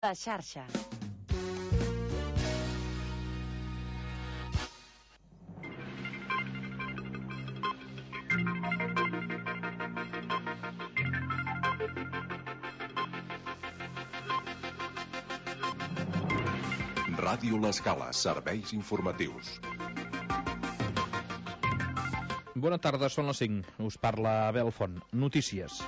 La xarxa. Ràdio L'Escala, serveis informatius. Bona tarda, són les 5. Us parla Abel Font. Notícies.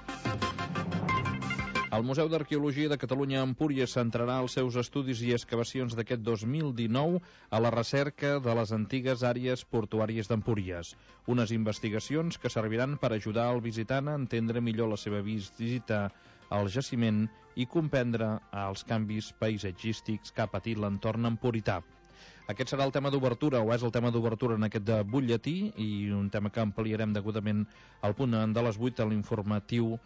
El Museu d'Arqueologia de Catalunya a Empúries centrarà els seus estudis i excavacions d'aquest 2019 a la recerca de les antigues àrees portuàries d'Empúries. Unes investigacions que serviran per ajudar el visitant a entendre millor la seva visita al jaciment i comprendre els canvis paisatgístics que ha patit l'entorn empurità. Aquest serà el tema d'obertura, o és el tema d'obertura en aquest butlletí, i un tema que ampliarem degudament al punt de les 8 a l'informatiu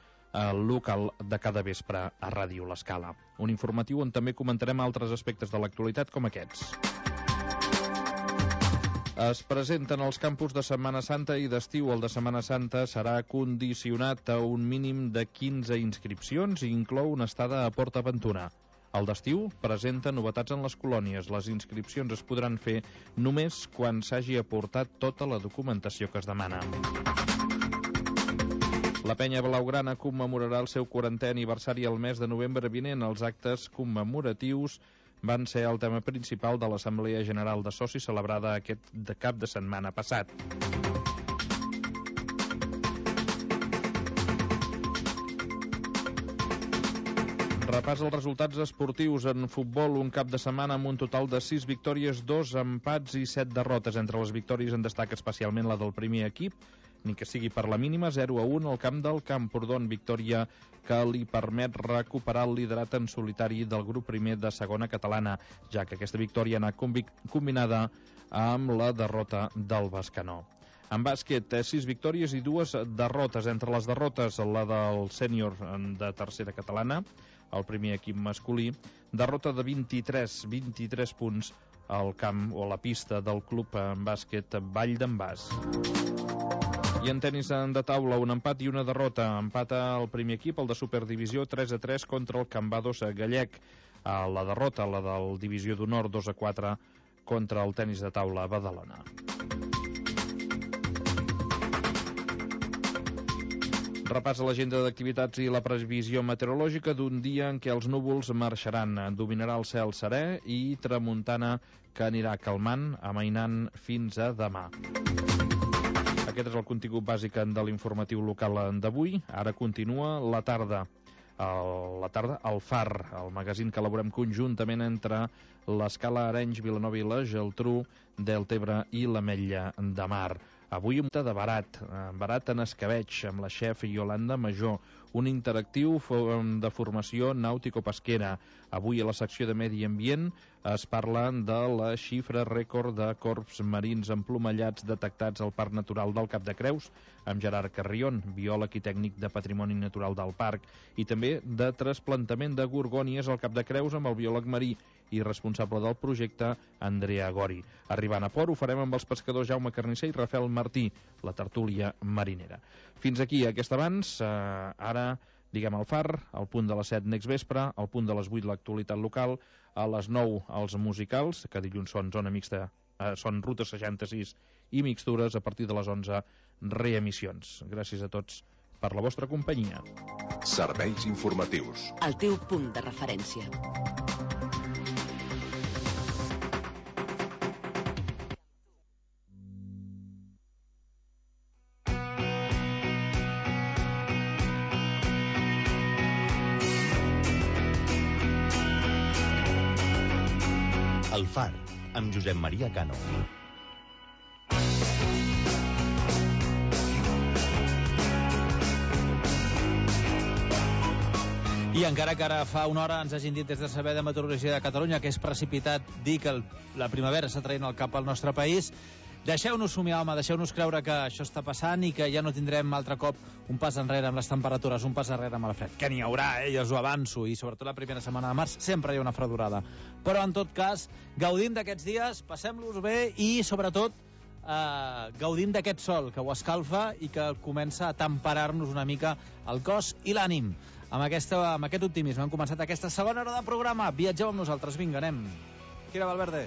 local de cada vespre a Ràdio L'Escala. Un informatiu on també comentarem altres aspectes de l'actualitat com aquests. Es presenten els campus de Setmana Santa i d'estiu. El de Setmana Santa serà condicionat a un mínim de 15 inscripcions i inclou una estada a Port Aventura. El d'estiu presenta novetats en les colònies. Les inscripcions es podran fer només quan s'hagi aportat tota la documentació que es demana. La Penya Blaugrana commemorarà el seu 40è aniversari el mes de novembre vinent. Els actes commemoratius van ser el tema principal de l'Assemblea General de Socis celebrada aquest cap de setmana passat. Repàs els resultats esportius en futbol. Un cap de setmana amb un total de 6 victòries, 2 empats i 7 derrotes. Entre les victòries en destaca especialment la del primer equip, ni que sigui per la mínima, 0-1 al camp del Camprodon, victòria que li permet recuperar el liderat en solitari del grup primer de segona catalana, ja que aquesta victòria anà combinada amb la derrota del Bescanó. En bàsquet, 6 victòries i 2 derrotes. Entre les derrotes, la del sènior de tercera catalana, el primer equip masculí, derrota de 23 punts al camp o a la pista del club en bàsquet Vall d'en Bas. I en tenis de taula, un empat i una derrota. Empata el primer equip, el de Superdivisió, 3-3 contra el Cambados gallec. La derrota, la del Divisió d'Honor, 2-4 contra el tenis de taula Badalona. Repàs a l'agenda d'activitats i la previsió meteorològica d'un dia en què els núvols marxaran. Dominarà el cel serè i tramuntana que anirà calmant, amainant fins a demà. Aquest és el contingut bàsic de l'informatiu local d'avui. Ara continua la tarda. El Far, el magazín que elaborem conjuntament entre l'Escala, Arenys, Vilanova i la Geltrú, Deltebre i l'Ametlla de Mar. Avui un de barat en escabeig, amb la xef Iolanda Major, un interactiu de formació nàutico-pesquera. Avui a la secció de Medi Ambient es parla de la xifra rècord de corbs marins emplomallats detectats al Parc Natural del Cap de Creus, amb Gerard Carrion, biòleg i tècnic de Patrimoni Natural del Parc, i també de trasplantament de gorgònies al Cap de Creus amb el biòleg marí i responsable del projecte, Andrea Gori. Arribant a port ho farem amb els pescadors Jaume Carnisser i Rafael Martí, la tertúlia marinera. Fins aquí aquest abans. Ara diguem el Far, al punt de les 7 next vespre, al punt de les 8 l'actualitat local, a les 9 els musicals, que dilluns són zona mixta, són Ruta 66 i mixtures, a partir de les 11 reemissions. Gràcies a tots per la vostra companyia. Serveis informatius. El teu punt de referència. El Far, amb Josep Maria Cano. I encara que ara fa una hora ens hagin dit des de Servei de Meteorologia de Catalunya que és precipitat dir que la primavera està traient el cap al nostre país, deixeu-nos somiar, home, deixeu-nos creure que això està passant i que ja no tindrem altre cop un pas enrere amb les temperatures, un pas enrere amb el fred. Que n'hi haurà, ja us ho avanço, i sobretot la primera setmana de març sempre hi ha una fredurada. Però en tot cas, gaudim d'aquests dies, passem-los bé i sobretot gaudim d'aquest sol que ho escalfa i que comença a temperar-nos una mica el cos i l'ànim. Amb aquest optimisme hem començat aquesta segona hora de programa. Viatgeu amb nosaltres, vinga, anem. Kira Valverde.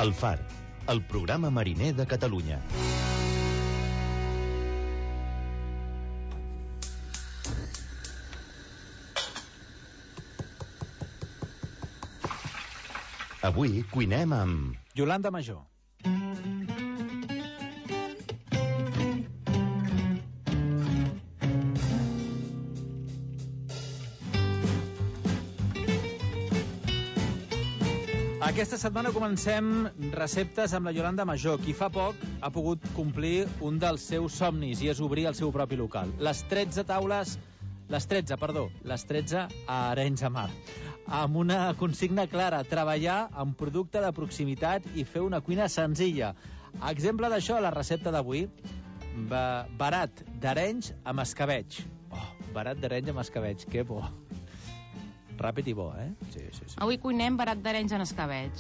El Far, el programa mariner de Catalunya. Avui cuinem amb... Iolanda Major. Aquesta setmana comencem receptes amb la Iolanda Major, qui fa poc ha pogut complir un dels seus somnis i és obrir el seu propi local. Les 13 a Arenys de Mar. Amb una consigna clara, treballar amb producte de proximitat i fer una cuina senzilla. Exemple d'això, la recepta d'avui, barat d'Arenys amb escabeig. Oh, barat d'Arenys amb escabeig, que bo. Ràpid i bo, eh? Sí. Avui cuinem barat d'Arenys en escabeig.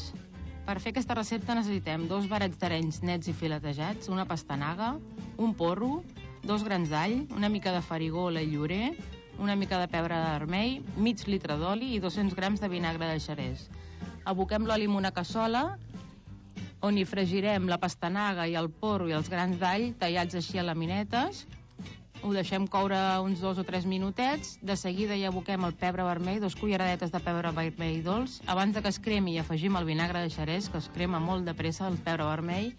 Per fer aquesta recepta necessitem 2 barats d'Arenys nets i filetejats, una pastanaga, un porro, 2 grans d'all, una mica de farigola i llorer, una mica de pebre vermell, mig litre d'oli i 200 grams de vinagre de xerès. Aboquem l'oli en una cassola on hi fregirem la pastanaga i el porro i els grans d'all tallats així a laminetes. Ho deixem coure uns 2 o 3 minutets. De seguida hi aboquem el pebre vermell, 2 culleradetes de pebre vermell dolç. Abans de que es cremi hi afegim el vinagre de xerès, que es crema molt de pressa el pebre vermell.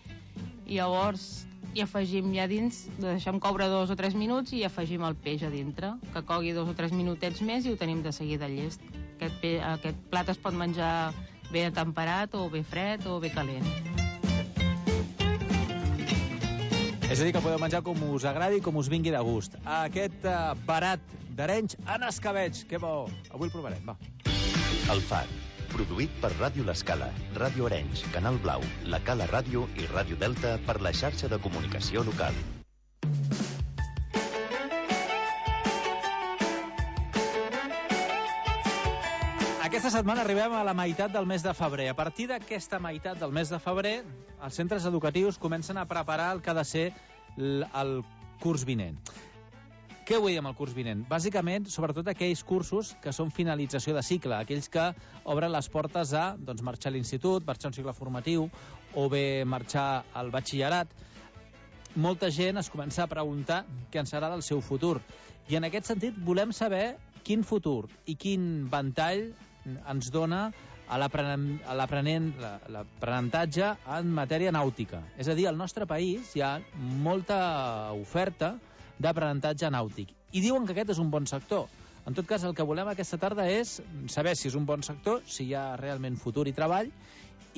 I llavors hi afegim ja dins, ho deixem coure 2 o 3 minuts i hi afegim el peix a dintre, que cogui 2 o 3 minutets més i ho tenim de seguida llest. Aquest plat es pot menjar bé temperat o bé fred o bé calent. És a dir, que podeu menjar com us agradi i com us vingui de gust. Aquest barat d'Arenys en escabeig. Que bo! Avui el provarem, va. El Far, produït per Ràdio L'Escala, Ràdio Arenys, Canal Blau, La Cala Ràdio i Ràdio Delta per la xarxa de comunicació local. Aquesta setmana arribem a la meitat del mes de febrer. A partir d'aquesta meitat del mes de febrer, els centres educatius comencen a preparar el que ha de ser el curs vinent. Què vull dir amb el curs vinent? Bàsicament, sobretot aquells cursos que són finalització de cicle, aquells que obren les portes a marxar a l'institut, marxar a un cicle formatiu o bé marxar al batxillerat. Molta gent es comença a preguntar què en serà del seu futur. I en aquest sentit volem saber quin futur i quin ventall ens dona a l'aprenentatge en matèria nàutica. És a dir, al nostre país hi ha molta oferta d'aprenentatge nàutic. I diuen que aquest és un bon sector. En tot cas, el que volem aquesta tarda és saber si és un bon sector, si hi ha realment futur i treball,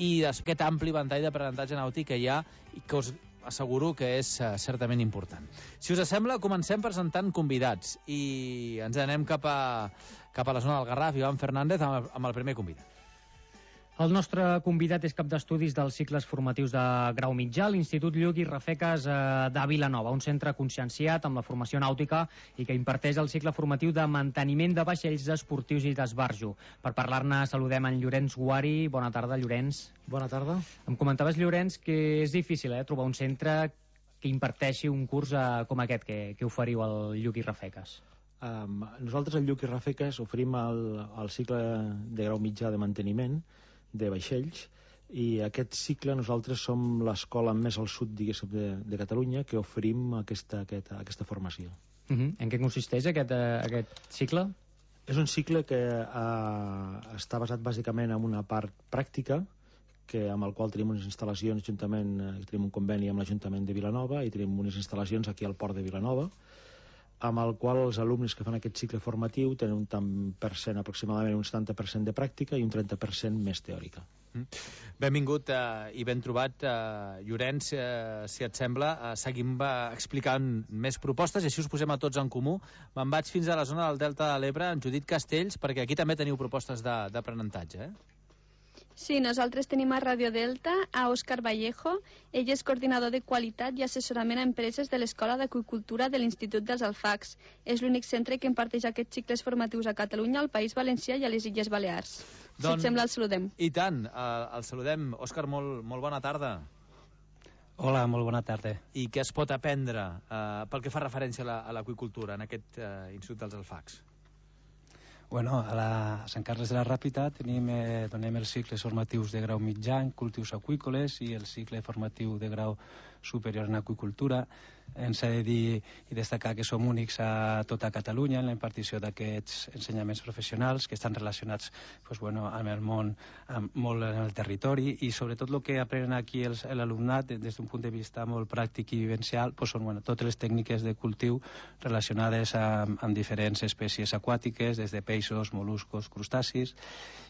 i aquest ampli ventall d'aprenentatge nàutic que hi ha i que us asseguro que és certament important. Si us sembla, comencem presentant convidats i ens anem cap a la zona del Garraf. Ivan Fernández amb el primer convidat. El nostre convidat és cap d'estudis dels cicles formatius de grau mitjà a l'Institut Lluc i Rafeques de Vilanova, un centre conscienciat amb la formació nàutica i que imparteix el cicle formatiu de manteniment de vaixells esportius i d'esbarjo. Per parlar-ne saludem en Llorenç Guari. Bona tarda, Llorenç. Bona tarda. Em comentaves, Llorenç, que és difícil trobar un centre que imparteixi un curs com aquest que oferiu al Lluc i Rafeques. Nosaltres al Lluc i Rafeques oferim el cicle de grau mitjà de manteniment de vaixells, i aquest cicle nosaltres som l'escola més al sud, diguéssim, de Catalunya que oferim aquesta formació. En què consisteix aquest cicle? És un cicle que està basat bàsicament en una part pràctica, amb el qual tenim unes instal·lacions tenim un conveni amb l'Ajuntament de Vilanova i tenim unes instal·lacions aquí al Port de Vilanova, amb el qual els alumnes que fan aquest cicle formatiu tenen un tant per cent, aproximadament un 70% de pràctica i un 30% més teòrica. Benvingut i ben trobat, Llorenç. Si et sembla, seguim explicant més propostes i així us posem a tots en comú. Me'n vaig fins a la zona del Delta de l'Ebre, en Judit Castells, perquè aquí també teniu propostes d'aprenentatge, Sí, nosaltres tenim a Radio Delta a Òscar Vallejo. Ell és coordinador de qualitat i assessorament a empreses de l'Escola d'Aqüicultura de l'Institut dels Alfacs. És l'únic centre que imparteix aquests cicles formatius a Catalunya, al País Valencià i a les Illes Balears. Si et sembla, el saludem. I tant, el saludem. Òscar, molt bona tarda. Hola, molt bona tarda. I què es pot aprendre pel que fa referència a l'aqüicultura en aquest Institut dels Alfacs? Bueno, a Sant Carles de la Ràpita donem els cicles formatius de grau mitjà en cultius aqüícoles i el cicle formatiu de grau superior en aqüicultura. Ens ha de dir i destacar que som únics a tota Catalunya en la impartició d'aquests ensenyaments professionals que estan relacionats amb el món, molt en el territori, i sobretot el que aprenen aquí l'alumnat des d'un punt de vista molt pràctic i vivencial són totes les tècniques de cultiu relacionades amb diferents espècies aquàtiques, des de peixos, mol·luscos, crustacis,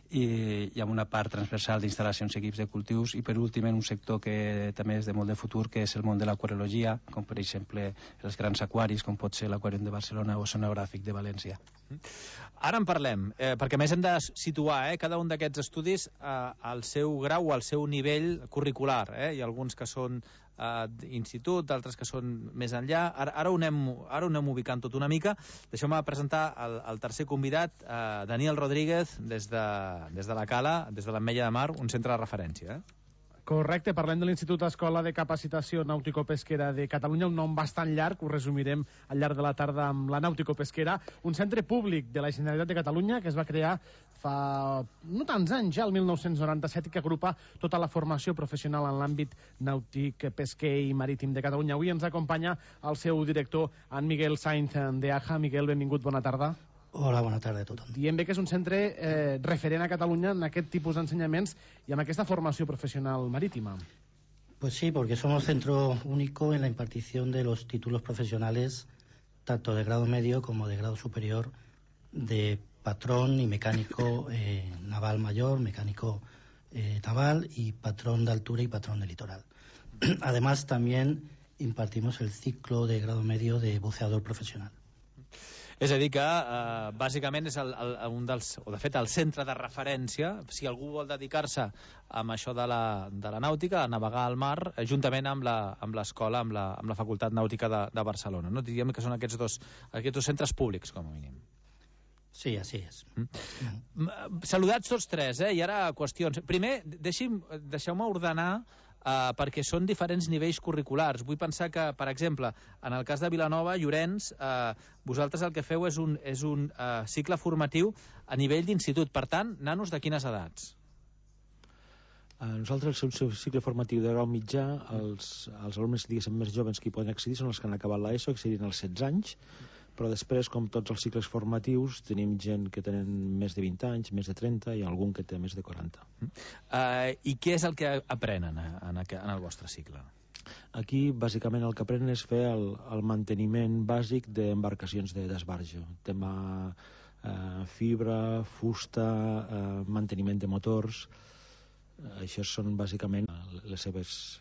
i amb una part transversal d'instal·lacions i equips de cultius, i per últim en un sector que també és de molt de futur, que és el món de l'aquariologia, com per exemple els grans aquaris, com pot ser l'Aquàrium de Barcelona o l'Oceanogràfic de València. Ara en parlem, perquè més hem de situar cada un d'aquests estudis al seu grau o al seu nivell curricular. Hi ha alguns que són d'institut, d'altres que són més enllà. Ara ho anem ubicant tot una mica. Deixeu-me presentar el tercer convidat, Daniel Rodríguez, des de la Cala, des de l'Ametlla de Mar, un centre de referència. Correcte, parlem de l'Institut Escola de Capacitació Nàutico-Pesquera de Catalunya, un nom bastant llarg, ho resumirem al llarg de la tarda amb la Nàutico-Pesquera, un centre públic de la Generalitat de Catalunya que es va crear fa no tants anys, ja el 1997, que agrupa tota la formació professional en l'àmbit nàutic, pesquer i marítim de Catalunya. Avui ens acompanya el seu director, en Miguel Sainz de AJA. Miguel, benvingut, bona tarda. Hola, bona tarda a tothom. Diem bé que és un centre referent a Catalunya en aquest tipus d'ensenyaments y en aquesta formació profesional marítima. Pues sí, porque somos centro único en la impartición de los títulos profesionales tanto de grado medio como de grado superior de patrón y mecánico naval mayor, mecánico naval y patrón de altura y patrón de litoral. Además, también impartimos el ciclo de grado medio de buceador profesional. És a dir que, bàsicament, és un dels, o de fet, el centre de referència, si algú vol dedicar-se a això de la nàutica, a navegar al mar, juntament amb l'escola, amb la Facultat Nàutica de Barcelona. No? Diríem que són aquests dos centres públics, com a mínim. Sí, així és. Saludats tots tres, i ara qüestions. Primer, deixeu-me ordenar perquè són diferents nivells curriculars. Vull pensar que, per exemple, en el cas de Vilanova, Llorenç, vosaltres el que feu és un cicle formatiu a nivell d'institut. Per tant, nanos de quines edats? Nosaltres, el seu cicle formatiu de grau mitjà, els alumnes més joves que hi poden accedir són els que han acabat l'ESO, accedint als 16 anys, però després, com tots els cicles formatius, tenim gent que tenen més de 20 anys, més de 30 i algun que té més de 40. I què és el que aprenen en el vostre cicle? Aquí, bàsicament, el que aprenen és fer el manteniment bàsic d'embarcacions d'esbarjo. Tema fibra, fusta, manteniment de motors. Això són, bàsicament, les seves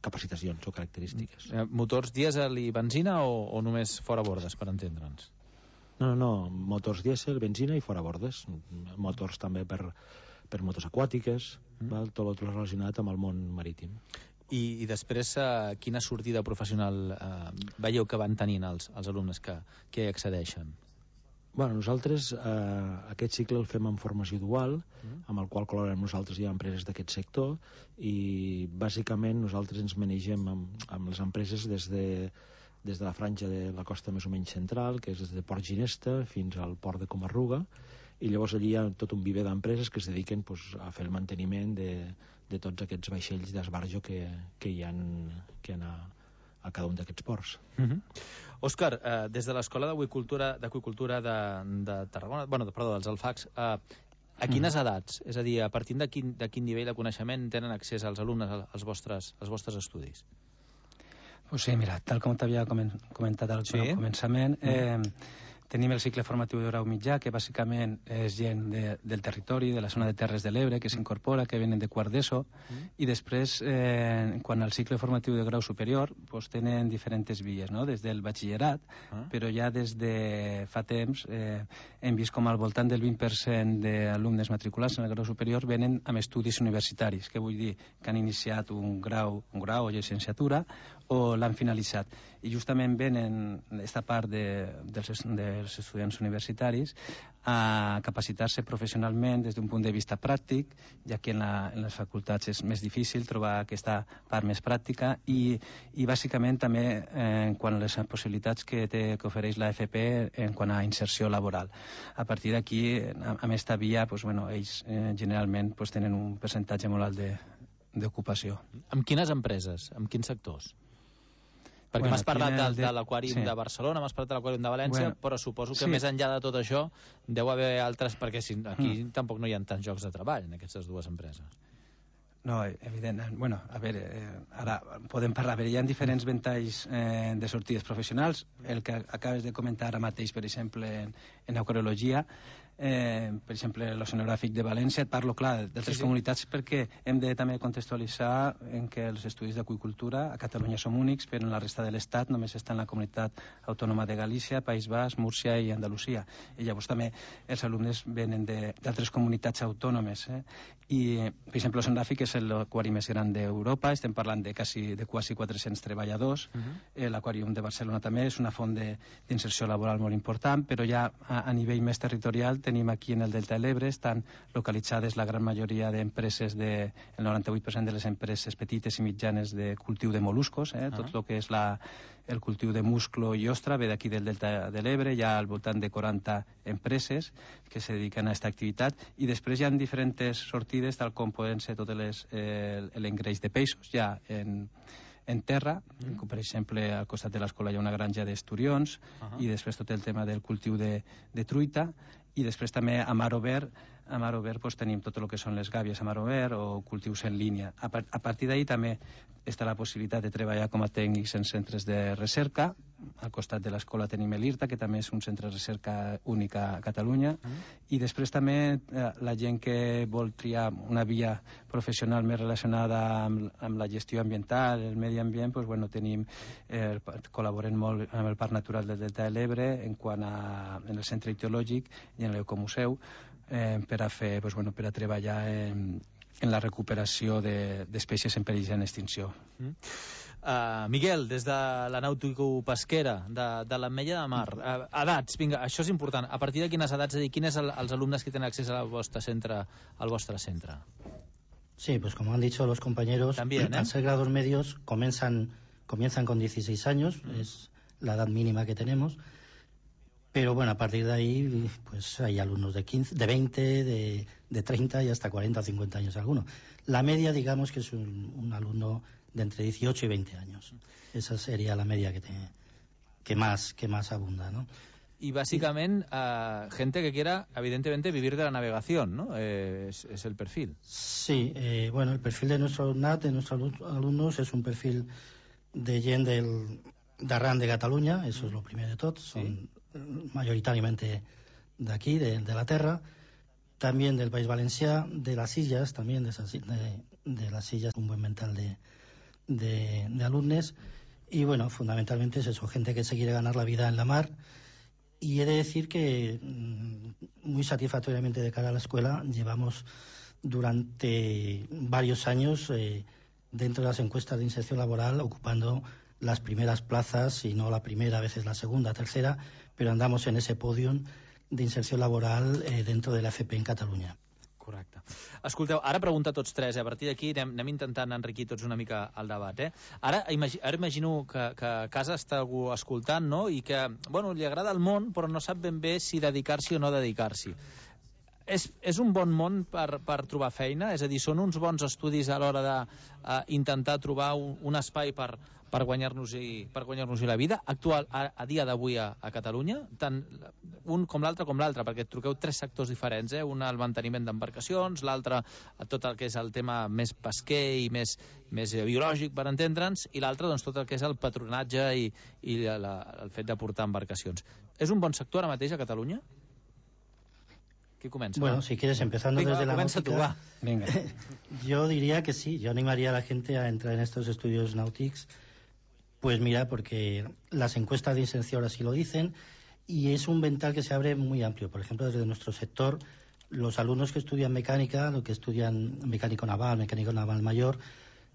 capacitacions o característiques. Motors dièsel i benzina o només fora bordes, per entendre'ns? No, motors dièsel, benzina i fora bordes. Motors també per motos aquàtiques, tot relacionat amb el món marítim. I després, quina sortida professional veieu que van tenint els alumnes que hi accedeixen? Bueno, nosaltres aquest cicle el fem en formació dual, amb el qual col·laborem nosaltres i empreses d'aquest sector, i bàsicament nosaltres ens manegem amb les empreses des de la franja de la costa més o menys central, que és des de Port Ginesta fins al port de Comarruga, i llavors allí hi ha tot un viver d'empreses que es dediquen a fer el manteniment de tots aquests vaixells d'esbarjo que hi ha a cada un d'aquests ports. Òscar, des de l'Escola d'Aqüicultura de Tarragona, dels Alfacs, a quines edats? És a dir, a partir de quin nivell de coneixement tenen accés els alumnes als vostres estudis? Pues sí, mira, tal com t'havia comentat al començament, tenim el cicle formatiu de grau mitjà, que bàsicament és gent del territori, de la zona de Terres de l'Ebre, que s'incorpora, que venen de quart d'ESO, i després, quan al cicle formatiu de grau superior, tenen diferents vies, des del batxillerat, però ja des de fa temps hem vist com al voltant del 20% d'alumnes matriculats en el grau superior venen amb estudis universitaris, que vull dir que han iniciat un grau o llicenciatura o l'han finalitzat. i justament venen aquesta part dels estudiants universitaris a capacitar-se professionalment des d'un punt de vista pràctic, ja que en les facultats és més difícil trobar aquesta part més pràctica i bàsicament també en quant a les possibilitats que ofereix la FP en quant a inserció laboral. A partir d'aquí, amb esta via, ells generalment tenen un percentatge molt alt d'ocupació. Amb quines empreses? Amb quins sectors? Perquè m'has parlat de l'Aquàrium de Barcelona, m'has parlat de l'Aquàrium de València, però suposo que més enllà de tot això deu haver altres, perquè aquí tampoc no hi ha tants llocs de treball en aquestes dues empreses. No, evident. Bueno, a veure, ara podem parlar. Hi ha diferents ventalls de sortides professionals. El que acabes de comentar ara mateix, per exemple, en aquariologia, per exemple, l'Oceanogràfic de València, et parlo, clar, d'altres comunitats perquè hem de també contextualitzar en què els estudis d'aqüicultura a Catalunya som únics, però en la resta de l'Estat només està en la comunitat autònoma de Galícia, País Basc, Múrcia i Andalusia. I llavors també els alumnes venen d'altres comunitats autònomes. I, per exemple, l'Oceanogràfic és l'aquari més gran d'Europa, estem parlant de quasi 400 treballadors. L'Aquàrium de Barcelona també és una font d'inserció laboral molt important, però ja a nivell més territorial tenim aquí en el Delta de l'Ebre, estan localitzades la gran majoria d'empreses, el 98% de les empreses petites i mitjanes de cultiu de mol·luscos, tot el que és el cultiu de musclo i ostra ve d'aquí del Delta de l'Ebre, hi ha al voltant de 40 empreses que se dediquen a aquesta activitat, i després hi ha diferents sortides, tal com poden ser tot l'engreix de peixos, ja en terra, com per exemple al costat de l'escola hi ha una granja d'esturions, i després tot el tema del cultiu de truita, i després també a mar obert tenim tot el que són les gàbies a mar obert o cultius en línia. A partir d'ahí també està la possibilitat de treballar com a tècnics en centres de recerca. Al costat de l'escola tenim l'IRTA, que també és un centre de recerca únic a Catalunya, i després també la gent que vol triar una via professional més relacionada amb la gestió ambiental, el medi ambient, col·laborem molt amb el Parc Natural del Delta de l'Ebre en el centre ictiològic i en l'Ecomuseu per a treballar en la recuperació d'espècies en perill d'extinció. Miguel, des de la nàutico-pesquera, de l'Ametlla de Mar, edats, vinga, això és important. A partir de quines edats, quins són els alumnes que tenen accés al vostre centre? Sí, pues como han dicho los compañeros, también, al ser grados medios comienzan con 16 años, es la edad mínima que tenemos. Pero bueno, a partir de ahí pues hay alumnos de 15, de 20, de 30 y hasta 40 o 50 años alguno. La media, digamos, que es un alumno de entre 18 y 20 años. Esa sería la media que más abunda, ¿no? Y básicamente gente que quiera, evidentemente, vivir de la navegación, ¿no? Es el perfil. Sí, bueno, el perfil de nuestro alumnat, de nuestros alumnos, es un perfil de gent d'arran de Catalunya, eso es lo primero de tot, son mayoritariamente de aquí, de la Terra, también del País Valencià, de las Illes, también de las Illes, un buen mental de alumnes, y bueno, fundamentalmente es eso, gente que se quiere ganar la vida en la mar, y he de decir que muy satisfactoriamente de cara a la escuela llevamos durante varios años dentro de las encuestas de inserción laboral ocupando las primeras plazas, si no la primera, a veces la segunda, tercera, pero andamos en ese podium de inserció laboral dentro de la FP en Catalunya. Correcte. Escolteu, ara pregunta a tots tres, a partir d'aquí anem intentant enriquir tots una mica el debat. Ara imagino que a casa està algú escoltant, no?, i que, bueno, li agrada el món, però no sap ben bé si dedicar-s'hi o no dedicar-s'hi. És un bon món per trobar feina? És a dir, són uns bons estudis a l'hora d'intentar trobar un espai per guanyar-nos-hi la vida actual a dia d'avui a Catalunya, tant un com l'altre, perquè truqueu tres sectors diferents, un el manteniment d'embarcacions, l'altre tot el que és el tema més pesquer i més biològic, per entendre'ns, i l'altre doncs, tot el que és el patronatge i el fet de portar embarcacions. És un bon sector ara mateix a Catalunya? ¿Qué comienza? Bueno, si quieres, empezando desde la náutica, Venga. Yo diría que sí, yo animaría a la gente a entrar en estos estudios náuticos. Pues mira, porque las encuestas de inserción así lo dicen, y es un vental que se abre muy amplio. Por ejemplo, desde nuestro sector, los alumnos que estudian mecánica, los que estudian mecánico naval mayor,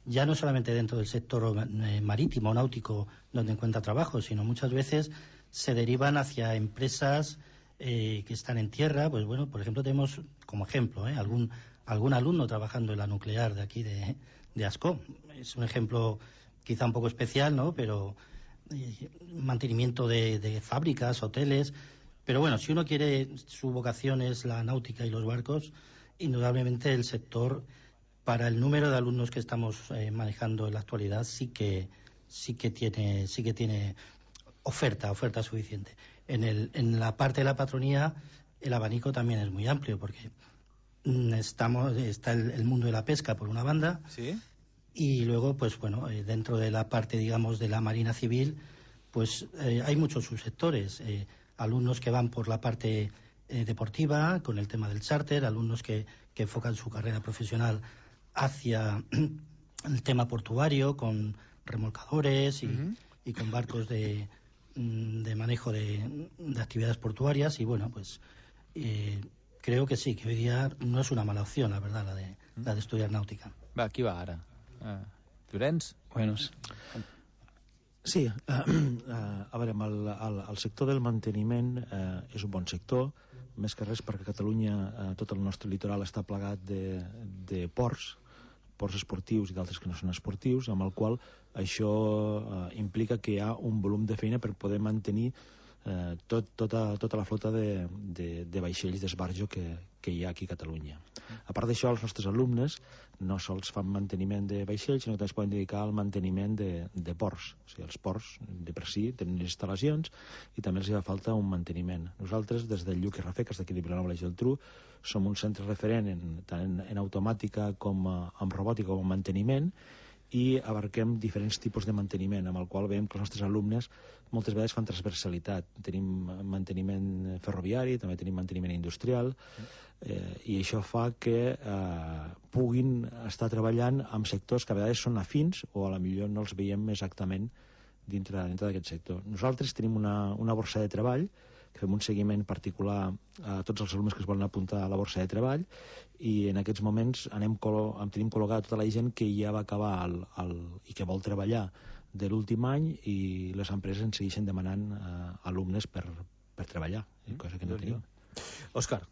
ya no solamente dentro del sector marítimo o náutico donde encuentra trabajo, sino muchas veces se derivan hacia empresas que están en tierra. Pues bueno, por ejemplo, tenemos como ejemplo algún alumno trabajando en la nuclear de aquí de Ascó. Es un ejemplo quizá un poco especial, ¿no? Pero mantenimiento de fábricas, hoteles. Pero bueno, si uno quiere, su vocación es la náutica y los barcos, indudablemente el sector, para el número de alumnos que estamos manejando en la actualidad, sí que tiene oferta suficiente. En la parte de la patronía, el abanico también es muy amplio, porque está el mundo de la pesca por una banda. ¿Sí? Y luego, pues bueno, dentro de la parte, digamos, de la Marina Civil, pues hay muchos subsectores. Alumnos que van por la parte deportiva, con el tema del charter, alumnos que enfocan su carrera profesional hacia el tema portuario, con remolcadores y con barcos de manejo de actividades portuarias. Y bueno, pues creo que sí, que hoy día no és una mala opció, la verdad, la de estudiar nàutica. Va, qui va ara? Llorenç? Bueno, sí, a veure, el sector del manteniment és un bon sector, més que res perquè Catalunya, tot el nostre litoral està plagat de ports esportius i d'altres que no són esportius, amb el qual això implica que hi ha un volum de feina per poder mantenir tota la flota de vaixells d'esbarjo que hi ha aquí a Catalunya. A part d'això, els nostres alumnes no sols fan manteniment de vaixells, sinó que també es poden dedicar al manteniment de ports. O sigui, els ports de per si tenen instal·lacions i també els hi fa falta un manteniment. Nosaltres, des del Lluc i Rafeques, d'aquí de Vilanova i la Geltrú, som un centre referent tant en automàtica com en robòtica com en manteniment, i abarquem diferents tipus de manteniment, amb el qual veiem que els nostres alumnes moltes vegades fan transversalitat. Tenim manteniment ferroviari, també tenim manteniment industrial, i això fa que puguin estar treballant amb sectors que a vegades són afins o a la millor no els veiem exactament dintre d'aquest sector. Nosaltres tenim una borsa de treball, que fem un seguiment particular a tots els alumnes que es volen apuntar a la borsa de treball, i en aquests moments tenim col·locada tota la gent que ja va acabar i que vol treballar de l'últim any, i les empreses ens segueixen demanant alumnes per treballar, cosa que no tenim. Òscar.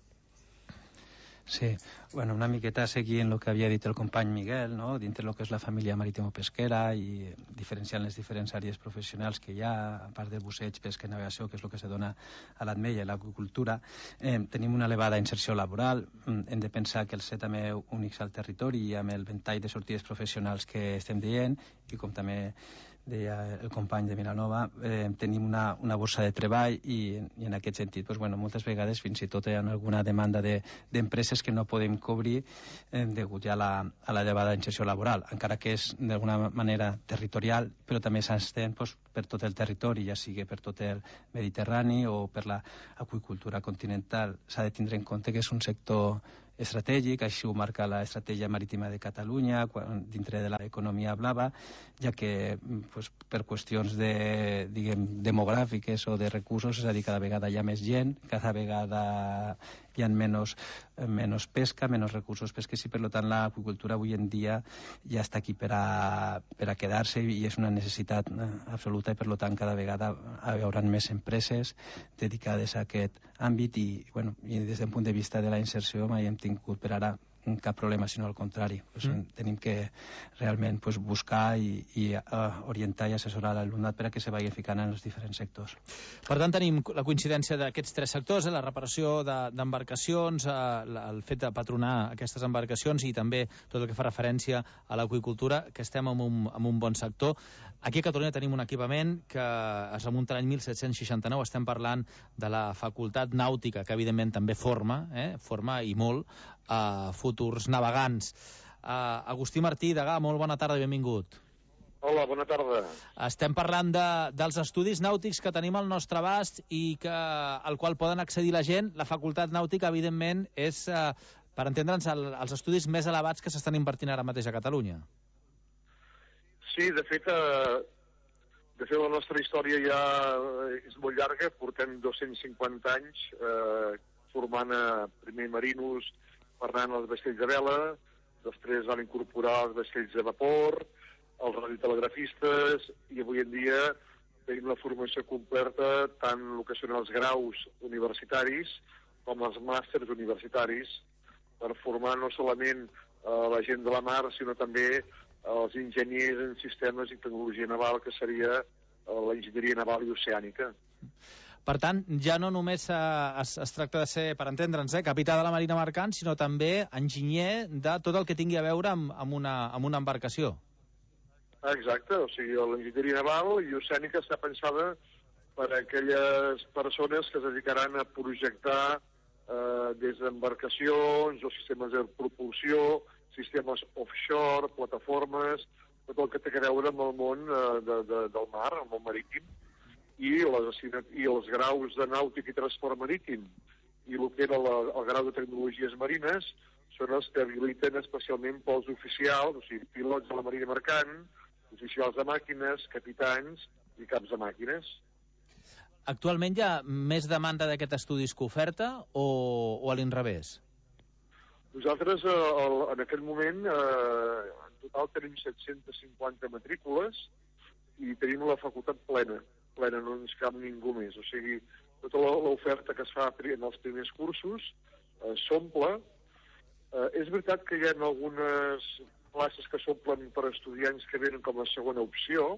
Sí, bueno, una miqueta seguint el que havia dit el company Miguel, no? Dintre del que és la família marítimo-pesquera i diferenciant les diferents àrees professionals que hi ha, a part de busseig, pesca i navegació, que és el que se dona a l'ATME i a l'aqüicultura, tenim una elevada inserció laboral. Hem de pensar que el ser també únics al territori i amb el ventall de sortides professionals que estem dient, i com també deia el company de Vilanova, tenim una borsa de treball i en aquest sentit, doncs, bueno, moltes vegades fins i tot hi ha alguna demanda d'empreses que no podem cobrir degut ja a la elevada inserció laboral, encara que és d'alguna manera territorial, però també s'estén per tot el territori, ja sigui per tot el Mediterrani o per l'aqüicultura continental. S'ha de tindre en compte que és un sector estratègic, així ho marca l'Estratègia Marítima de Catalunya dintre de l'economia blava, ja que per qüestions demogràfiques o de recursos, és a dir, cada vegada hi ha més gent, cada vegada hi ha menys pesca, menys recursos pesquers, i per tant l'aqüicultura avui en dia ja està aquí per a quedar-se i és una necessitat absoluta, i per tant cada vegada hi haurà més empreses dedicades a aquest àmbit i des d'un punt de vista de la inserció mai hem tingut per ara cap problema, sinó al contrari. Tenim que realment buscar i orientar i assessorar l'alumnat per a que se vagi ficant en els diferents sectors. Per tant, tenim la coincidència d'aquests tres sectors, la reparació d'embarcacions, el fet de patronar aquestes embarcacions i també tot el que fa referència a l'aqüicultura, que estem en un bon sector. Aquí a Catalunya tenim un equipament que es remunta a l'any 1769, estem parlant de la Facultat Nàutica, que evidentment també forma i molt a futurs navegants. Agustí Martí, degà, molt bona tarda i benvingut. Hola, bona tarda. Estem parlant dels estudis nàutics que tenim al nostre abast i al qual poden accedir la gent. La Facultat Nàutica, evidentment, és, per entendre'ns, els estudis més elevats que s'estan invertint ara mateix a Catalunya. Sí, de fet, la nostra història ja és molt llarga. Portem 250 anys formant primer marinos, per anar als vaixells de vela, després van incorporar els vaixells de vapor, els radiotelegrafistes, i avui en dia tenim la formació completa tant el que són els graus universitaris com els màsters universitaris per formar no solament la gent de la mar, sinó també els enginyers en sistemes i tecnologia naval, que seria l'enginyeria naval i oceànica. Per tant, ja no només es tracta de ser, per entendre'ns, capità de la Marina Mercant, sinó també enginyer de tot el que tingui a veure amb una embarcació. Exacte, o sigui, l'enginyeria naval i oceànica està pensada per a aquelles persones que es dedicaran a projectar des d'embarcacions o sistemes de propulsió, sistemes offshore, plataformes, tot el que té a veure amb el món del mar, el món marítim, i els graus de nàutic i transport marítim i el que era el grau de tecnologies marines són els que habiliten especialment pels oficials, o sigui, pilots de la Marina Mercant, oficials de màquines, capitans i caps de màquines. Actualment hi ha més demanda d'aquest estudis que oferta o a l'inrevés? Nosaltres, en aquest moment, en total tenim 750 matrícules i tenim la facultat plena, no ens cap ningú més. O sigui, tota l'oferta que es fa en els primers cursos s'omple. És veritat que hi ha algunes places que s'omplen per estudiants que venen com a segona opció,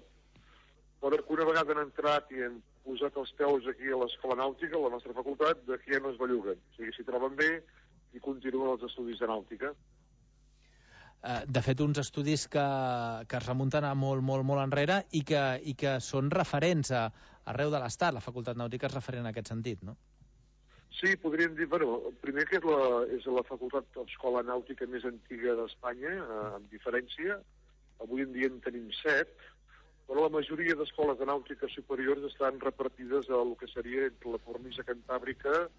però que una vegada han entrat i han posat els peus aquí a l'Escola Nàutica, a la nostra facultat, d'aquí ja no es belluguen. O sigui, s'hi troben bé i continuen els estudis de nàutica. De fet, uns estudis que es remunten a molt enrere i que són referents arreu de l'Estat. La Facultat Nàutica és referent en aquest sentit, no? Sí, podríem dir, primer que és la facultat d'escola nàutica més antiga d'Espanya, amb diferència. Avui en dia en tenim 7, però la majoria d'escoles de nàutica superiors estan repartides al que seria entre la cornisa cantàbrica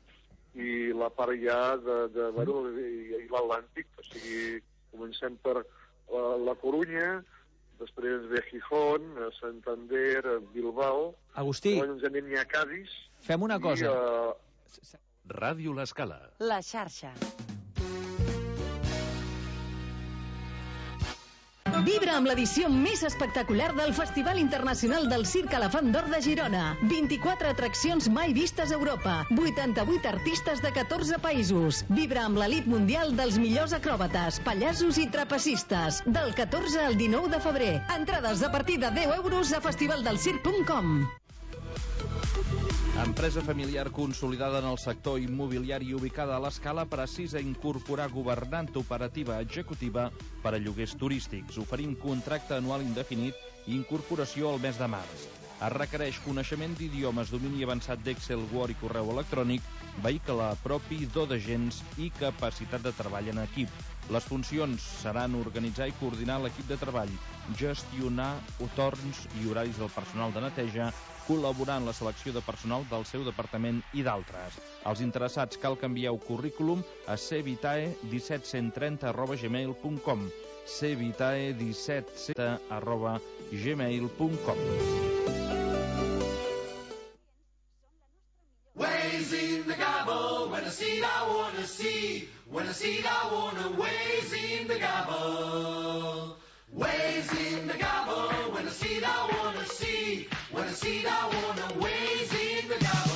i la part ja i l'Atlàntic. O sigui, comencem per la Corunya, després ve Gijón, Santander, Bilbao. Agustí, ens anem ja a Cádiz. Fem una cosa. Ràdio L'Escala. La xarxa. Vibra amb l'edició més espectacular del Festival Internacional del Circ Elefant d'Or de Girona. 24 atraccions mai vistes a Europa. 88 artistes de 14 països. Vibra amb l'elit mundial dels millors acròbates, pallassos i trapecistes. Del 14 al 19 de febrer. Entrades a partir de 10 euros a festivaldelcirc.com. Empresa familiar consolidada en el sector immobiliari i ubicada a l'Escala precisa incorporar governant operativa executiva per a lloguers turístics. Oferim contracte anual indefinit i incorporació al mes de març. Es requereix coneixement d'idiomes, domini avançat d'Excel, Word i correu electrònic, vehicle propi, do d'agents i capacitat de treball en equip. Les funcions seran organitzar i coordinar l'equip de treball, gestionar torns i horaris del personal de neteja, col·laborar en la selecció de personal del seu departament i d'altres. Els interessats cal que envieu currículum a cvitae17130@gmail.com cvitae17130@gmail.com. Ways in the gobble, when I see it I wanna see, when I see it I wanna, ways in the gobble. Ways in the gobble, when I see it I wanna see, when I see it I wanna, ways in the gobble.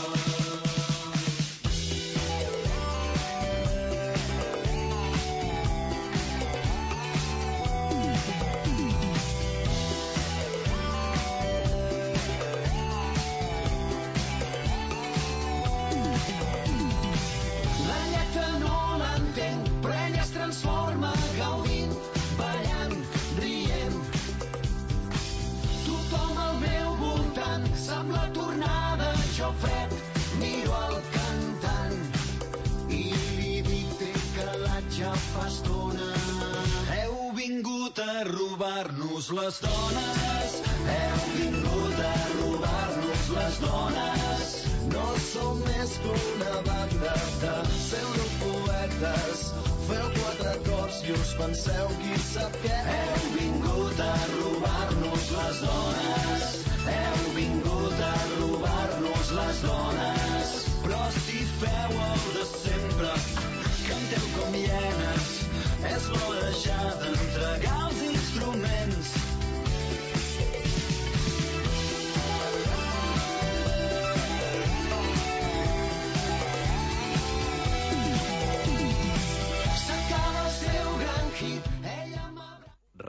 Transforma gaudint, ballant, rient. Tothom al meu voltant sembla tornada, jo fred, miro al cantant i li dic té calatge fa estona. Heu vingut a robar-nos les dones, heu vingut a robar-nos les dones. No som més que una banda de pseudopoetes. Feu 4 acords i us penseu qui sap què. Heu vingut a robar-nos les dones. Heu vingut a robar-nos les dones. Però si feu el de sempre, canteu com hienes, és bo deixar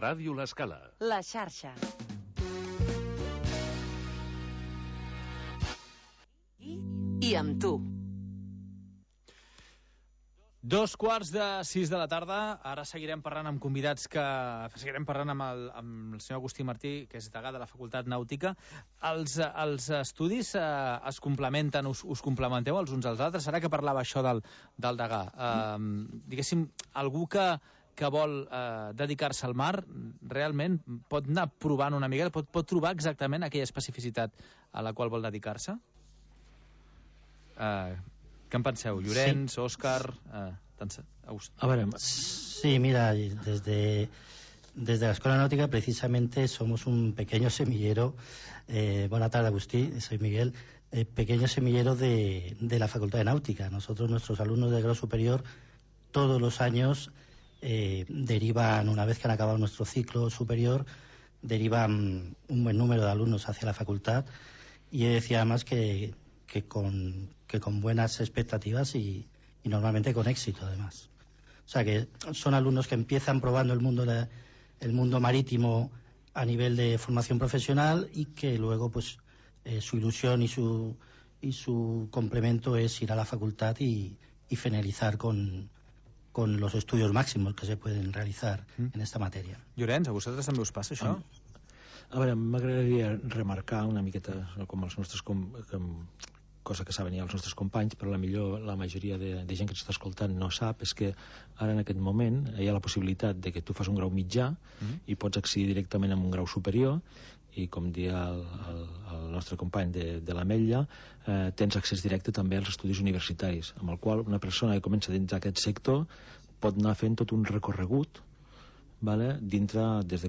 Ràdio L'Escala. La xarxa. I amb tu. 2:45 de la tarda. Ara seguirem parlant amb convidats seguirem parlant amb el senyor Agustí Martí, que és degà de la Facultat Nàutica. Els estudis es complementen, us complementeu els uns als altres? Ara que parlava això del degà, diguéssim, algú que vol dedicar-se al mar, realment pot anar provant una mica, pot trobar exactament aquella especificitat a la qual vol dedicar-se? Què en penseu? Llorenç, Òscar... A ver, sí, mira, desde la Escuela Náutica precisamente somos un pequeño semillero. Buenas tardes, Agustí, soy Miguel. Pequeño semillero de la Facultad de Náutica. Nuestros alumnos de grado superior, todos los años derivan, una vez que han acabado nuestro ciclo superior, derivan un buen número de alumnos hacia la facultad, y decía además que con buenas expectativas y normalmente con éxito, además. O sea, que son alumnos que empiezan probando el mundo marítimo a nivel de formación profesional, y que luego pues su ilusión y su complemento es ir a la facultad y finalizar con los estudios máximos que se pueden realizar en esta matèria. Llorenç, a vosaltres també us passa això? A veure, m'agradaria remarcar una miqueta com els nostres cosa que saben ja els nostres companys, però la majoria de gent que ens està escoltant no sap, és que ara en aquest moment hi ha la possibilitat de que tu fas un grau mitjà i pots accedir directament a un grau superior, i com dia el nostre company de l'Ametlla, tens accés directe també als estudis universitaris, amb el qual una persona que comença dins d'aquest sector pot anar fent tot un recorregut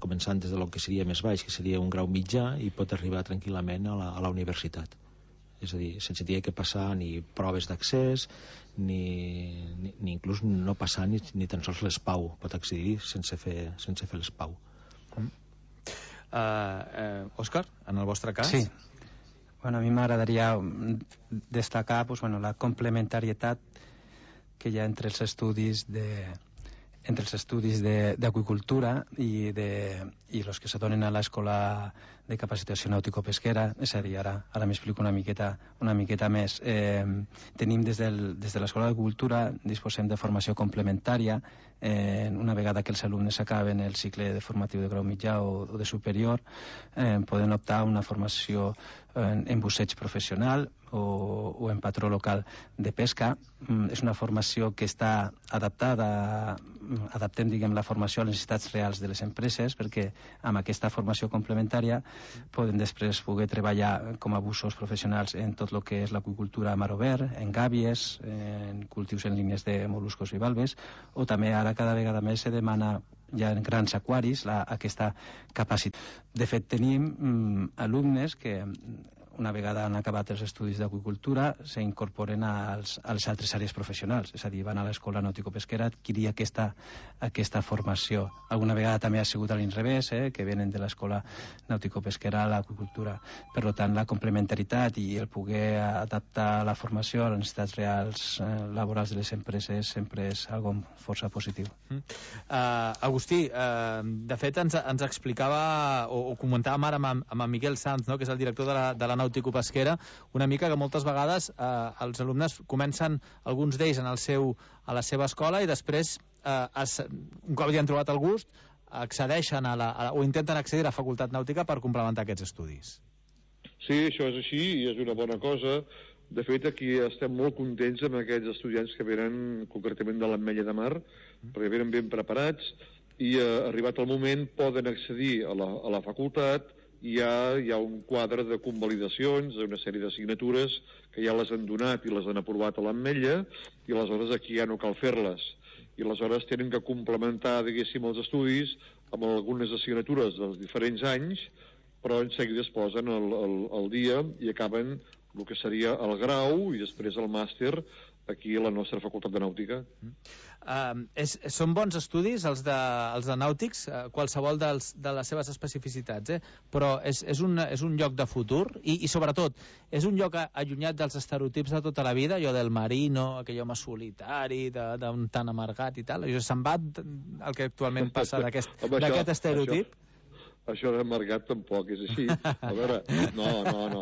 començant des del que seria més baix, que seria un grau mitjà, i pot arribar tranquil·lament a la universitat. És a dir, sense haver que passar ni proves d'accés, ni inclús no passar ni tan sols l'ESPAU. Pot accedir sense fer l'ESPAU. Òscar, en el vostre cas? Sí. Bueno, a mi m'agradaria destacar la complementarietat que hi ha entre els estudis d'aquicultura i els que se donen a l'escola de capacitació nàutico-pesquera. És a dir, ara m'explico una miqueta més. Tenim des de l'escola d'aquicultura, disposem de formació complementària. Una vegada que els alumnes acaben el cicle de formatiu de grau mitjà o de superior, poden optar a una formació en busseig professional o en patró local de pesca. És una formació que està adaptem, la formació a les necessitats reals de les empreses, perquè amb aquesta formació complementària poden després poder treballar com a bussos professionals en tot el que és l'aqüicultura a mar obert, en gàbies, en cultius en línies de mol·luscos bivalves, o també ara cada vegada més se demana ja en grans aquaris aquesta capacitat. De fet, tenim alumnes que una vegada han acabat els estudis d'aquicultura s'incorporen als altres àrees professionals, és a dir, van a l'escola nàutico-pesquera a adquirir aquesta formació. Alguna vegada també ha sigut a l'inrevés, que venen de l'escola nàutico-pesquera a l'aquicultura. Per tant, la complementaritat i el poder adaptar la formació a les necessitats reals laborals de les empreses sempre és algo força positiu. Agustí, de fet ens explicava o comentàvem ara amb en Miquel Sanz, que és el director de la nàutico-pesquera, una mica que moltes vegades els alumnes comencen, alguns d'ells a la seva escola, i després un cop ja han trobat el gust accedeixen o intenten accedir a la facultat nàutica per complementar aquests estudis. Sí, això és així i és una bona cosa. De fet, aquí estem molt contents amb aquests estudiants que venen concretament de l'Ametlla de Mar, perquè venen ben preparats i arribat el moment poden accedir a la facultat. Hi ha un quadre de convalidacions d'una sèrie d'assignatures que ja les han donat i les han aprovat a l'Ametlla, i aleshores aquí ja no cal fer-les, i aleshores tenen que complementar, diguéssim, els estudis amb algunes assignatures dels diferents anys, però en seguida es posen al dia i acaben el que seria el grau i després el màster aquí a la nostra Facultat de Nàutica. Són bons estudis els de nàutics, qualsevol de les seves especificitats, però és un lloc de futur i sobretot és un lloc allunyat dels estereotips de tota la vida, allò del marino, aquell home solitari, d'un tan amargat i tal. Se'n va el que actualment passa d'aquest estereotip? Això d'amargat tampoc és així. A veure, no.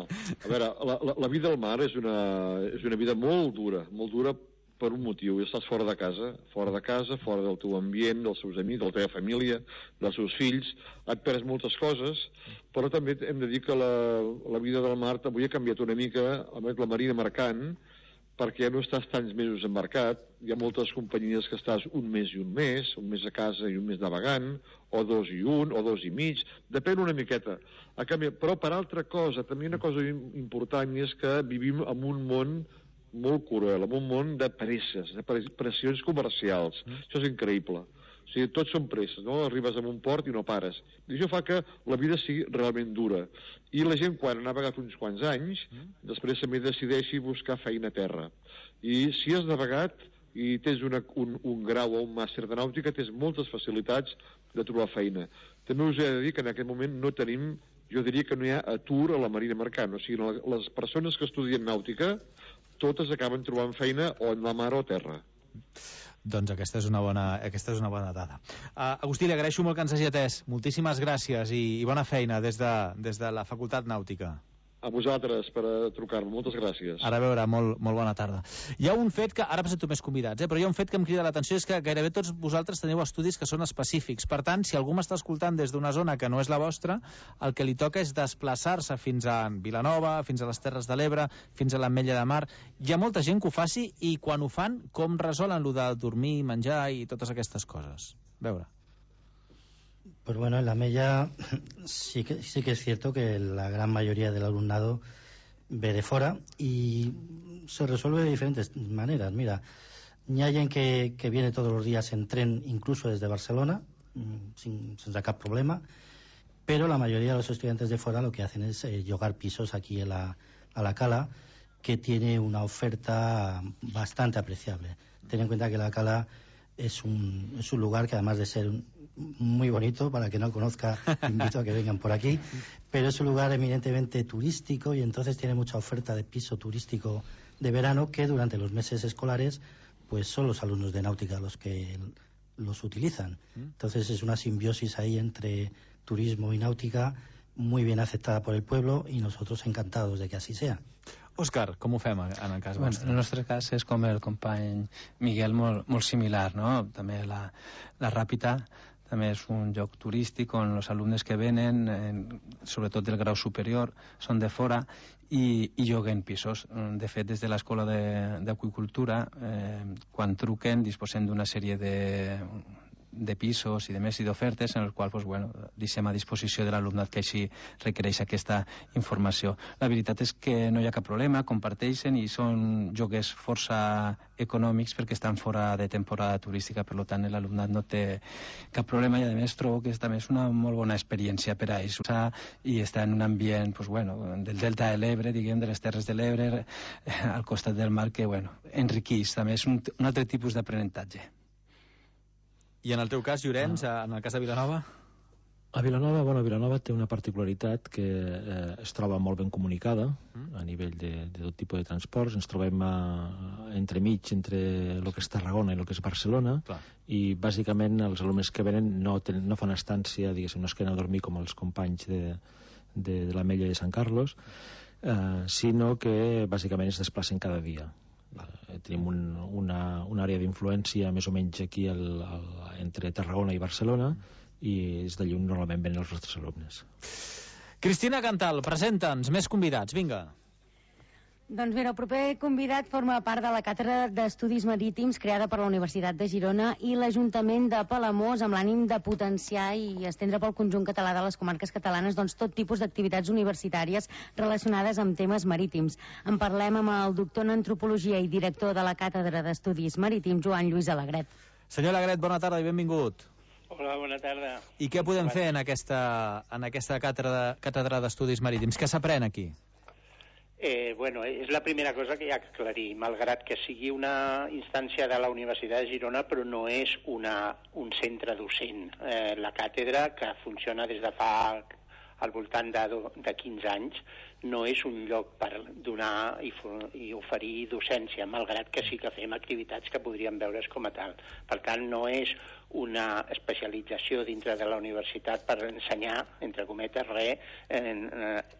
A veure, la vida al mar és una vida molt dura per un motiu. Estàs fora de casa, fora del teu ambient, dels seus amics, de la teva família, dels seus fills, et perds moltes coses, però també hem de dir que la vida del mar avui ha canviat una mica, almenys la marina mercant, perquè ja no estàs tants mesos embarcat, hi ha moltes companyies que estàs un mes a casa i un mes navegant, o 2 i 1, o 2 i mig, depèn una miqueta. Però per altra cosa, també una cosa important és que vivim en un món molt cruel, en un món de pressions comercials. Això és increïble. O sigui, tots són presses, no? Arribes a un port i no pares. I això fa que la vida sigui realment dura. I la gent, quan ha navegat uns quants anys, després també decideixi buscar feina a terra. I si has navegat i tens un grau o un màster de nàutica, tens moltes facilitats de trobar feina. També us he de dir que en aquest moment no tenim, jo diria que no hi ha atur a la marina mercant. O sigui, les persones que estudien nàutica, totes acaben trobant feina o en la mar o a terra. Doncs aquesta és una bona dada. Agustí, li agraeixo molt que ens hagi atès. Moltíssimes gràcies i bona feina des de la Facultat Nàutica. A vosaltres per trucar-me. Moltes gràcies. Ara a veure, molt bona tarda. Hi ha un fet que, ara presento més convidats, però hi ha un fet que em crida l'atenció, és que gairebé tots vosaltres teniu estudis que són específics. Per tant, si algú m'està escoltant des d'una zona que no és la vostra, el que li toca és desplaçar-se fins a Vilanova, fins a les Terres de l'Ebre, fins a l'Ametlla de Mar. Hi ha molta gent que ho faci i quan ho fan, com resolen lo de dormir, menjar i totes aquestes coses? A veure. Pues bueno, en la Mella sí que es cierto que la gran mayoría del alumnado ve de fuera y se resuelve de diferentes maneras. Mira, hay alguien que viene todos los días en tren, incluso desde Barcelona, sin sacar problema, pero la mayoría de los estudiantes de fuera lo que hacen es llogar pisos aquí a la Cala, que tiene una oferta bastante apreciable. Ten en cuenta que la Cala es un lugar que, además de ser muy bonito, para que no conozca, invito a que vengan por aquí, pero es un lugar eminentemente turístico y entonces tiene mucha oferta de piso turístico de verano que durante los meses escolares pues son los alumnos de náutica los que los utilizan. Entonces es una simbiosis ahí entre turismo y náutica muy bien aceptada por el pueblo y nosotros encantados de que así sea. Òscar, com ho fem en el cas vostre? En el nostre cas és com el company Miguel, molt similar, no? També la Ràpita també és un lloc turístic on els alumnes que venen, sobretot del grau superior, són de fora i lloguen pisos. De fet, des de l'Escola d'Aqüicultura, quan truquen, disposem d'una sèrie de pisos i de més i d'ofertes en els quals deixem a disposició de l'alumnat que així requereix aquesta informació. La veritat és que no hi ha cap problema, comparteixen i són lloguers força econòmics perquè estan fora de temporada turística, per tant l'alumnat no té cap problema i a més trobo que també és una molt bona experiència per a ells i estar en un ambient del delta de l'Ebre, diguem, de les Terres de l'Ebre, al costat del mar, que enriqueix, també és un altre tipus d'aprenentatge. I en el teu cas, Llorenç, en el cas de Vilanova? A Vilanova, Vilanova té una particularitat que es troba molt ben comunicada a nivell de tot tipus de transports. Ens trobem entremig entre el que és Tarragona i el que és Barcelona. Clar. I bàsicament els alumnes que venen no fan estància, diguéssim, no es queden a dormir com els companys de l'Ametlla de Sant Carlos, sinó que bàsicament es desplacen cada dia. Tenim una àrea d'influència més o menys aquí entre Tarragona i Barcelona i és d'allà on normalment venen els nostres alumnes. Cristina Cantal, presenta'ns més convidats, vinga. Doncs mira, el proper convidat forma part de la Càtedra d'Estudis Marítims creada per la Universitat de Girona i l'Ajuntament de Palamós amb l'ànim de potenciar i estendre pel conjunt català de les comarques catalanes tot tipus d'activitats universitàries relacionades amb temes marítims. En parlem amb el doctor en Antropologia i director de la Càtedra d'Estudis Marítims, Joan Lluís Alegret. Senyor Alegret, bona tarda i benvingut. Hola, bona tarda. I què podem fer en aquesta càtedra d'Estudis Marítims? Què s'aprèn aquí? Bueno, és la primera cosa que hi ha que aclarir, malgrat que sigui una instància de la Universitat de Girona, però no és un centre docent. La càtedra, que funciona des de fa al voltant de 15 anys, no és un lloc per donar i oferir docència, malgrat que sí que fem activitats que podrien veure's com a tal. Per tant, no és una especialització dintre de la universitat per ensenyar, entre cometes, res,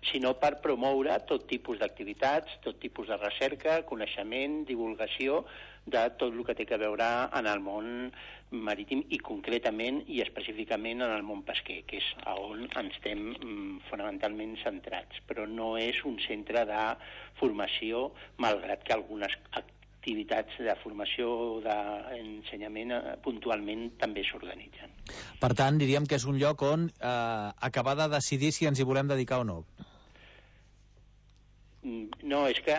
sinó per promoure tot tipus d'activitats, tot tipus de recerca, coneixement, divulgació de tot el que té a veure en el món marítim i concretament i específicament en el món pesquer, que és on ens estem fonamentalment centrats. Però no és un centre de formació, malgrat que algunes activitats de formació o d'ensenyament puntualment també s'organitzen. Per tant, diríem que és un lloc on acabar de decidir si ens hi volem dedicar o no. No, és que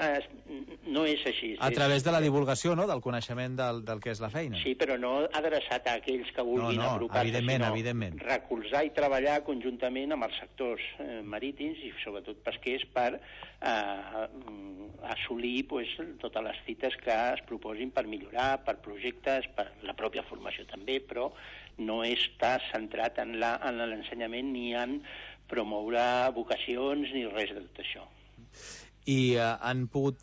no és així. A través de la divulgació, no?, del coneixement del que és la feina. Sí, però no adreçat a aquells que vulguin agrupar-se, sinó recolzar i treballar conjuntament amb els sectors marítims i sobretot pesquers per assolir totes les fites que es proposin per millorar, per projectes, per la pròpia formació també, però no està centrat en l'ensenyament ni en promoure vocacions ni res de tot això. I han pogut,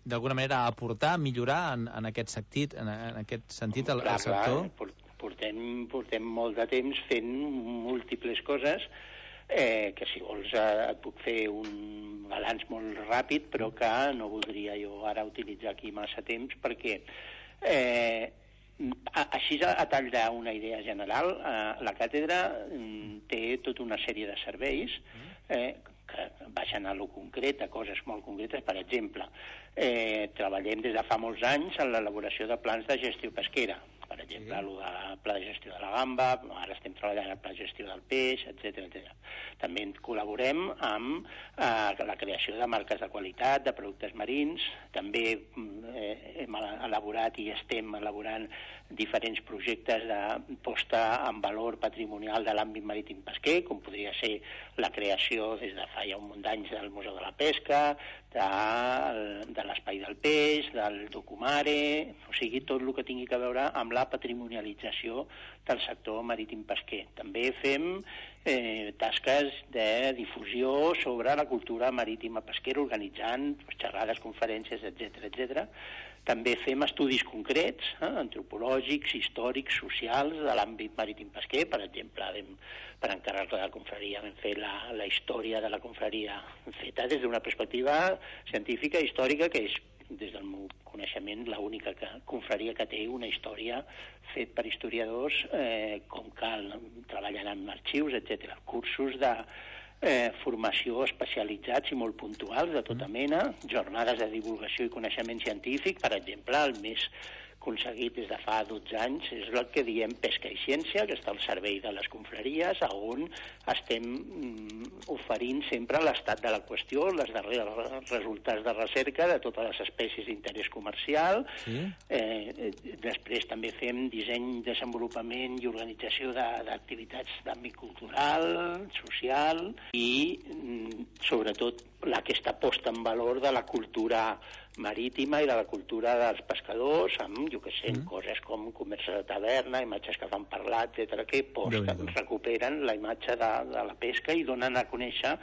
d'alguna manera, aportar, millorar en aquest sentit al sector? Portem molt de temps fent múltiples coses, que si vols et puc fer un balanç molt ràpid, però que no voldria jo ara utilitzar aquí massa temps, perquè així a tall d'una idea general, la càtedra té tota una sèrie de serveis que baixen a lo concret, a coses molt concretes. Per exemple, treballem des de fa molts anys en l'elaboració de plans de gestió pesquera. Per exemple, el pla de gestió de la gamba, ara estem treballant el pla de gestió del peix, etc. També col·laborem amb la creació de marques de qualitat, de productes marins. També hem elaborat i estem elaborant diferents projectes de posta en valor patrimonial de l'àmbit marítim pesquer, com podria ser la creació des de fa ja un munt d'anys del Museu de la Pesca, de l'Espai del Peix, del Documare, o sigui, tot el que tingui a veure amb la patrimonialització del sector marítim pesquer. També fem tasques de difusió sobre la cultura marítima pesquera, organitzant xerrades, conferències, etc. També fem estudis concrets, antropològics, històrics, socials, de l'àmbit marítim pesquer. Per exemple, per encàrrec de la confraria vam fer la història de la confraria feta des d'una perspectiva científica i històrica, que és, des del meu coneixement, l'única confraria que té una història fet per historiadors, com cal, treballant amb arxius, etc. Cursos de formació especialitzats i molt puntuals de tota mena, jornades de divulgació i coneixement científic. Per exemple, el més aconseguit des de fa 12 anys és el que diem Pesca i Ciència, que està al servei de les confraries, on estem oferint sempre l'estat de la qüestió, els darrers resultats de recerca de totes les espècies d'interès comercial. Després també fem disseny, desenvolupament i organització d'activitats d'àmbit cultural, social i, sobretot, aquesta posta en valor de la cultura marítima i de la cultura dels pescadors, amb, coses com comerç de taverna, imatges que fan parlar, etc., que recuperen la imatge de la pesca i donen a conèixer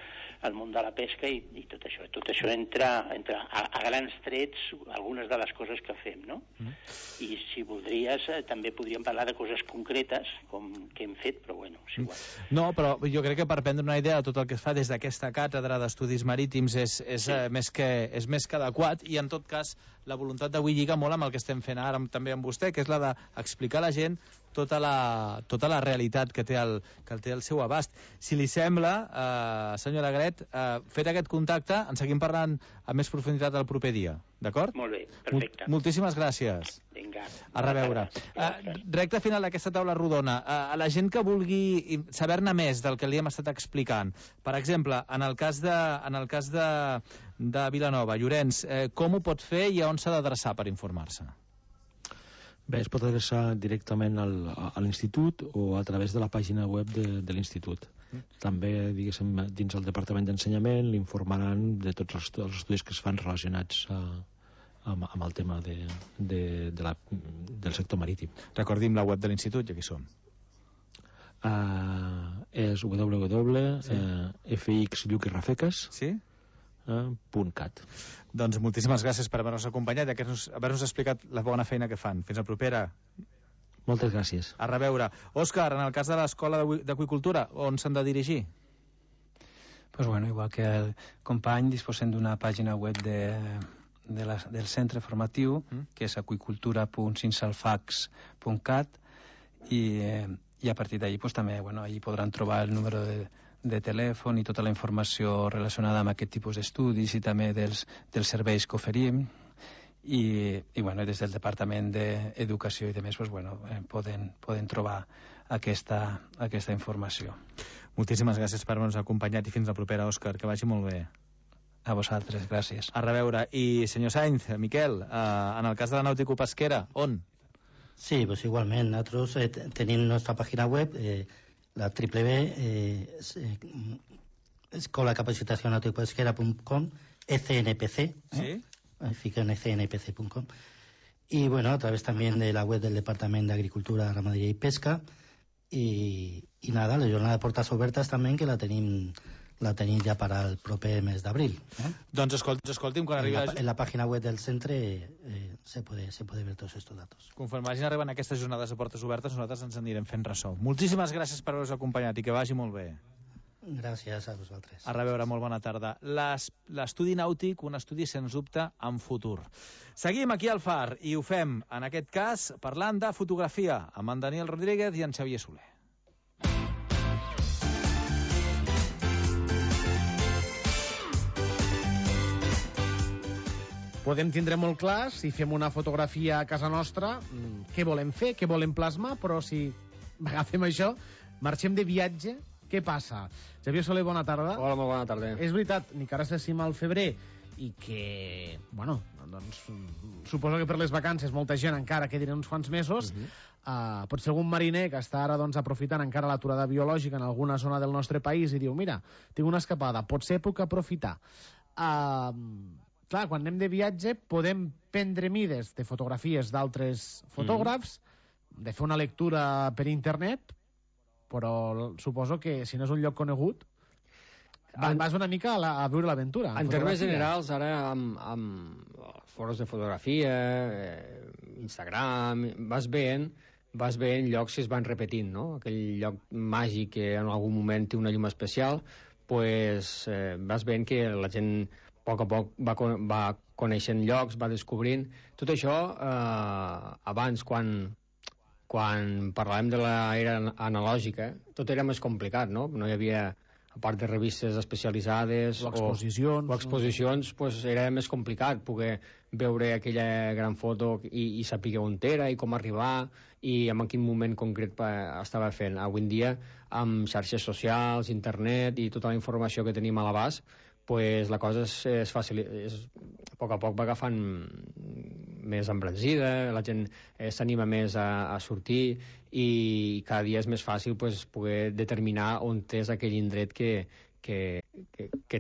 el món de la pesca i tot això. Tot això entra a grans trets algunes de les coses que fem, no? I si voldries, també podríem parlar de coses concretes, com que hem fet, però bueno, és igual. No, però jo crec que per prendre una idea de tot el que es fa des d'aquesta càtedra d'estudis marítims és més que adequat, i en tot cas la voluntat d'avui lliga molt amb el que estem fent ara també amb vostè, que és la d'explicar a la gent tota la realitat que té el seu abast. Si li sembla, senyora Gret, fet aquest contacte, en seguim parlant amb més profunditat el proper dia, d'acord? Molt bé, perfecte. Moltíssimes gràcies. Vinga. A reveure. Recte final d'aquesta taula rodona. A la gent que vulgui saber-ne més del que li hem estat explicant, per exemple, en el cas de Vilanova, Llorenç, com ho pot fer i a on s'ha d'adreçar per informar-se? Bé, es pot adreçar directament a l'institut o a través de la pàgina web de l'institut. També, diguéssim, dins el Departament d'Ensenyament l'informaran de tots els estudis que es fan relacionats amb el tema del sector marítim. Recordim la web de l'institut, ja que hi som. És www.fxlluquirrafeques.cat. Doncs moltíssimes gràcies per haver-nos acompanyat i haver-nos explicat la bona feina que fan. Fins la propera. Moltes gràcies. A reveure. Òscar, en el cas de l'Escola d'Aqüicultura, on s'han de dirigir? Pues bueno, igual que el company, disposem d'una pàgina web del centre formatiu, que és aquicultura.cinsalfax.cat, i a partir d'allí pues, també allí podran trobar el número de telèfon i tota la informació relacionada amb aquest tipus d'estudis i també dels serveis que oferim. I des del Departament d'Educació i demés poden trobar aquesta informació. Moltíssimes gràcies per haver-nos acompanyat i fins la propera, Òscar, que vagi molt bé. A vosaltres, gràcies. A reveure. I senyor Sainz, Miquel, en el cas de la nàutico-pesquera, on? Sí, pues igualment, nosaltres tenim nostra pàgina web, la escolacapacitacionauticopesquera.com, ECNPC, ¿sí? Fiquen ECNPC.com, y a través también de la web del Departamento de Agricultura, Ramaderia y Pesca, y nada, la jornada de portes obertes també, que la tenim ja per al proper mes d'abril. Doncs escolti'm, quan arribi... En la pàgina web del centre se puede ver tots estos datos. Conforme vagin arribant aquestes jornades de portes obertes, nosaltres ens anirem fent ressò. Moltíssimes gràcies per haver-vos acompanyat i que vagi molt bé. Gràcies a vosaltres. A reveure, molt bona tarda. L'estudi nàutic, un estudi sens dubte en futur. Seguim aquí al Far i ho fem, en aquest cas, parlant de fotografia amb en Daniel Rodríguez i en Xavier Soler. Podem tindre molt clar, si fem una fotografia a casa nostra, què volem fer, què volem plasmar, però si agafem això, marxem de viatge, què passa? Xavier Soler, bona tarda. Hola, molt bona tarda. És veritat, ni que ara s'assima al febrer i que, doncs, suposo que per les vacances molta gent encara quedarà uns quants mesos. Potser algun mariner que està ara doncs, aprofitant encara l'aturada biològica en alguna zona del nostre país i diu, mira, tinc una escapada, potser puc aprofitar. Clar, quan anem de viatge podem prendre mides de fotografies d'altres fotògrafs, de fer una lectura per internet, però suposo que si no és un lloc conegut vas una mica a viure l'aventura. En termes generals, ara amb foros de fotografia, Instagram, vas veient llocs que es van repetint, no? Aquell lloc màgic que en algun moment té una llum especial, pues vas veient que la gent a poc va coneixent llocs, va descobrint. Tot això, abans, quan parlàvem de l'era analògica, tot era més complicat, no? No hi havia, a part de revistes especialitzades o exposicions, pues era més complicat poder veure aquella gran foto i saber on era i com arribar i en quin moment concret estava fent. Avui en dia, amb xarxes socials, internet i tota la informació que tenim a l'abast, pues la cosa és fàcil, a poc va agafant més embranzida, la gent s'anima més a sortir i cada dia és més fàcil pues, poder determinar on és aquell indret que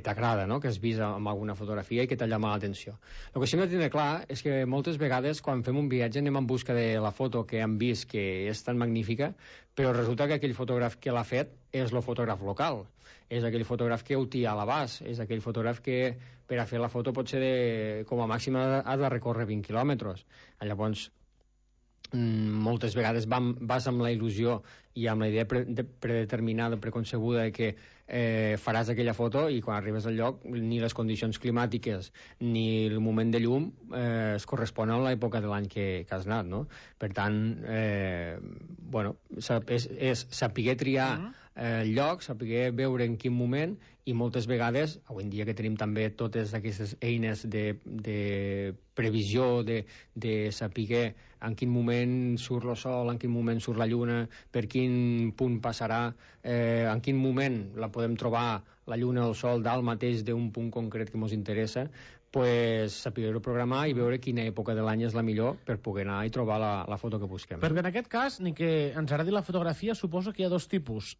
t'agrada, no? Que has vist amb alguna fotografia i que t'ha llamat l'atenció. El que sí que hem de tenir clar és que moltes vegades quan fem un viatge anem en busca de la foto que hem vist que és tan magnífica, però resulta que aquell fotògraf que l'ha fet és el fotògraf local, és aquell fotògraf que ho té a l'abast, és aquell fotògraf que per a fer la foto potser com a màxim ha de recórrer 20 quilòmetres. Llavors, moltes vegades vas amb la il·lusió i amb la idea predeterminada, preconcebuda de que faràs aquella foto i quan arribes al lloc ni les condicions climàtiques ni el moment de llum es corresponen a l'època de l'any que has anat, no? Per tant, és saber triar el lloc, saber veure en quin moment i moltes vegades, avui en dia que tenim també totes aquestes eines de previsió, de saber en quin moment surt el sol, en quin moment surt la lluna, per quin punt passarà, en quin moment la podem trobar la lluna o el sol dalt mateix d'un punt concret que ens interessa, saber-ho programar i veure quina època de l'any és la millor per poder anar i trobar la foto que busquem. Perquè en aquest cas, ni que ens agradi la fotografia, suposo que hi ha dos tipus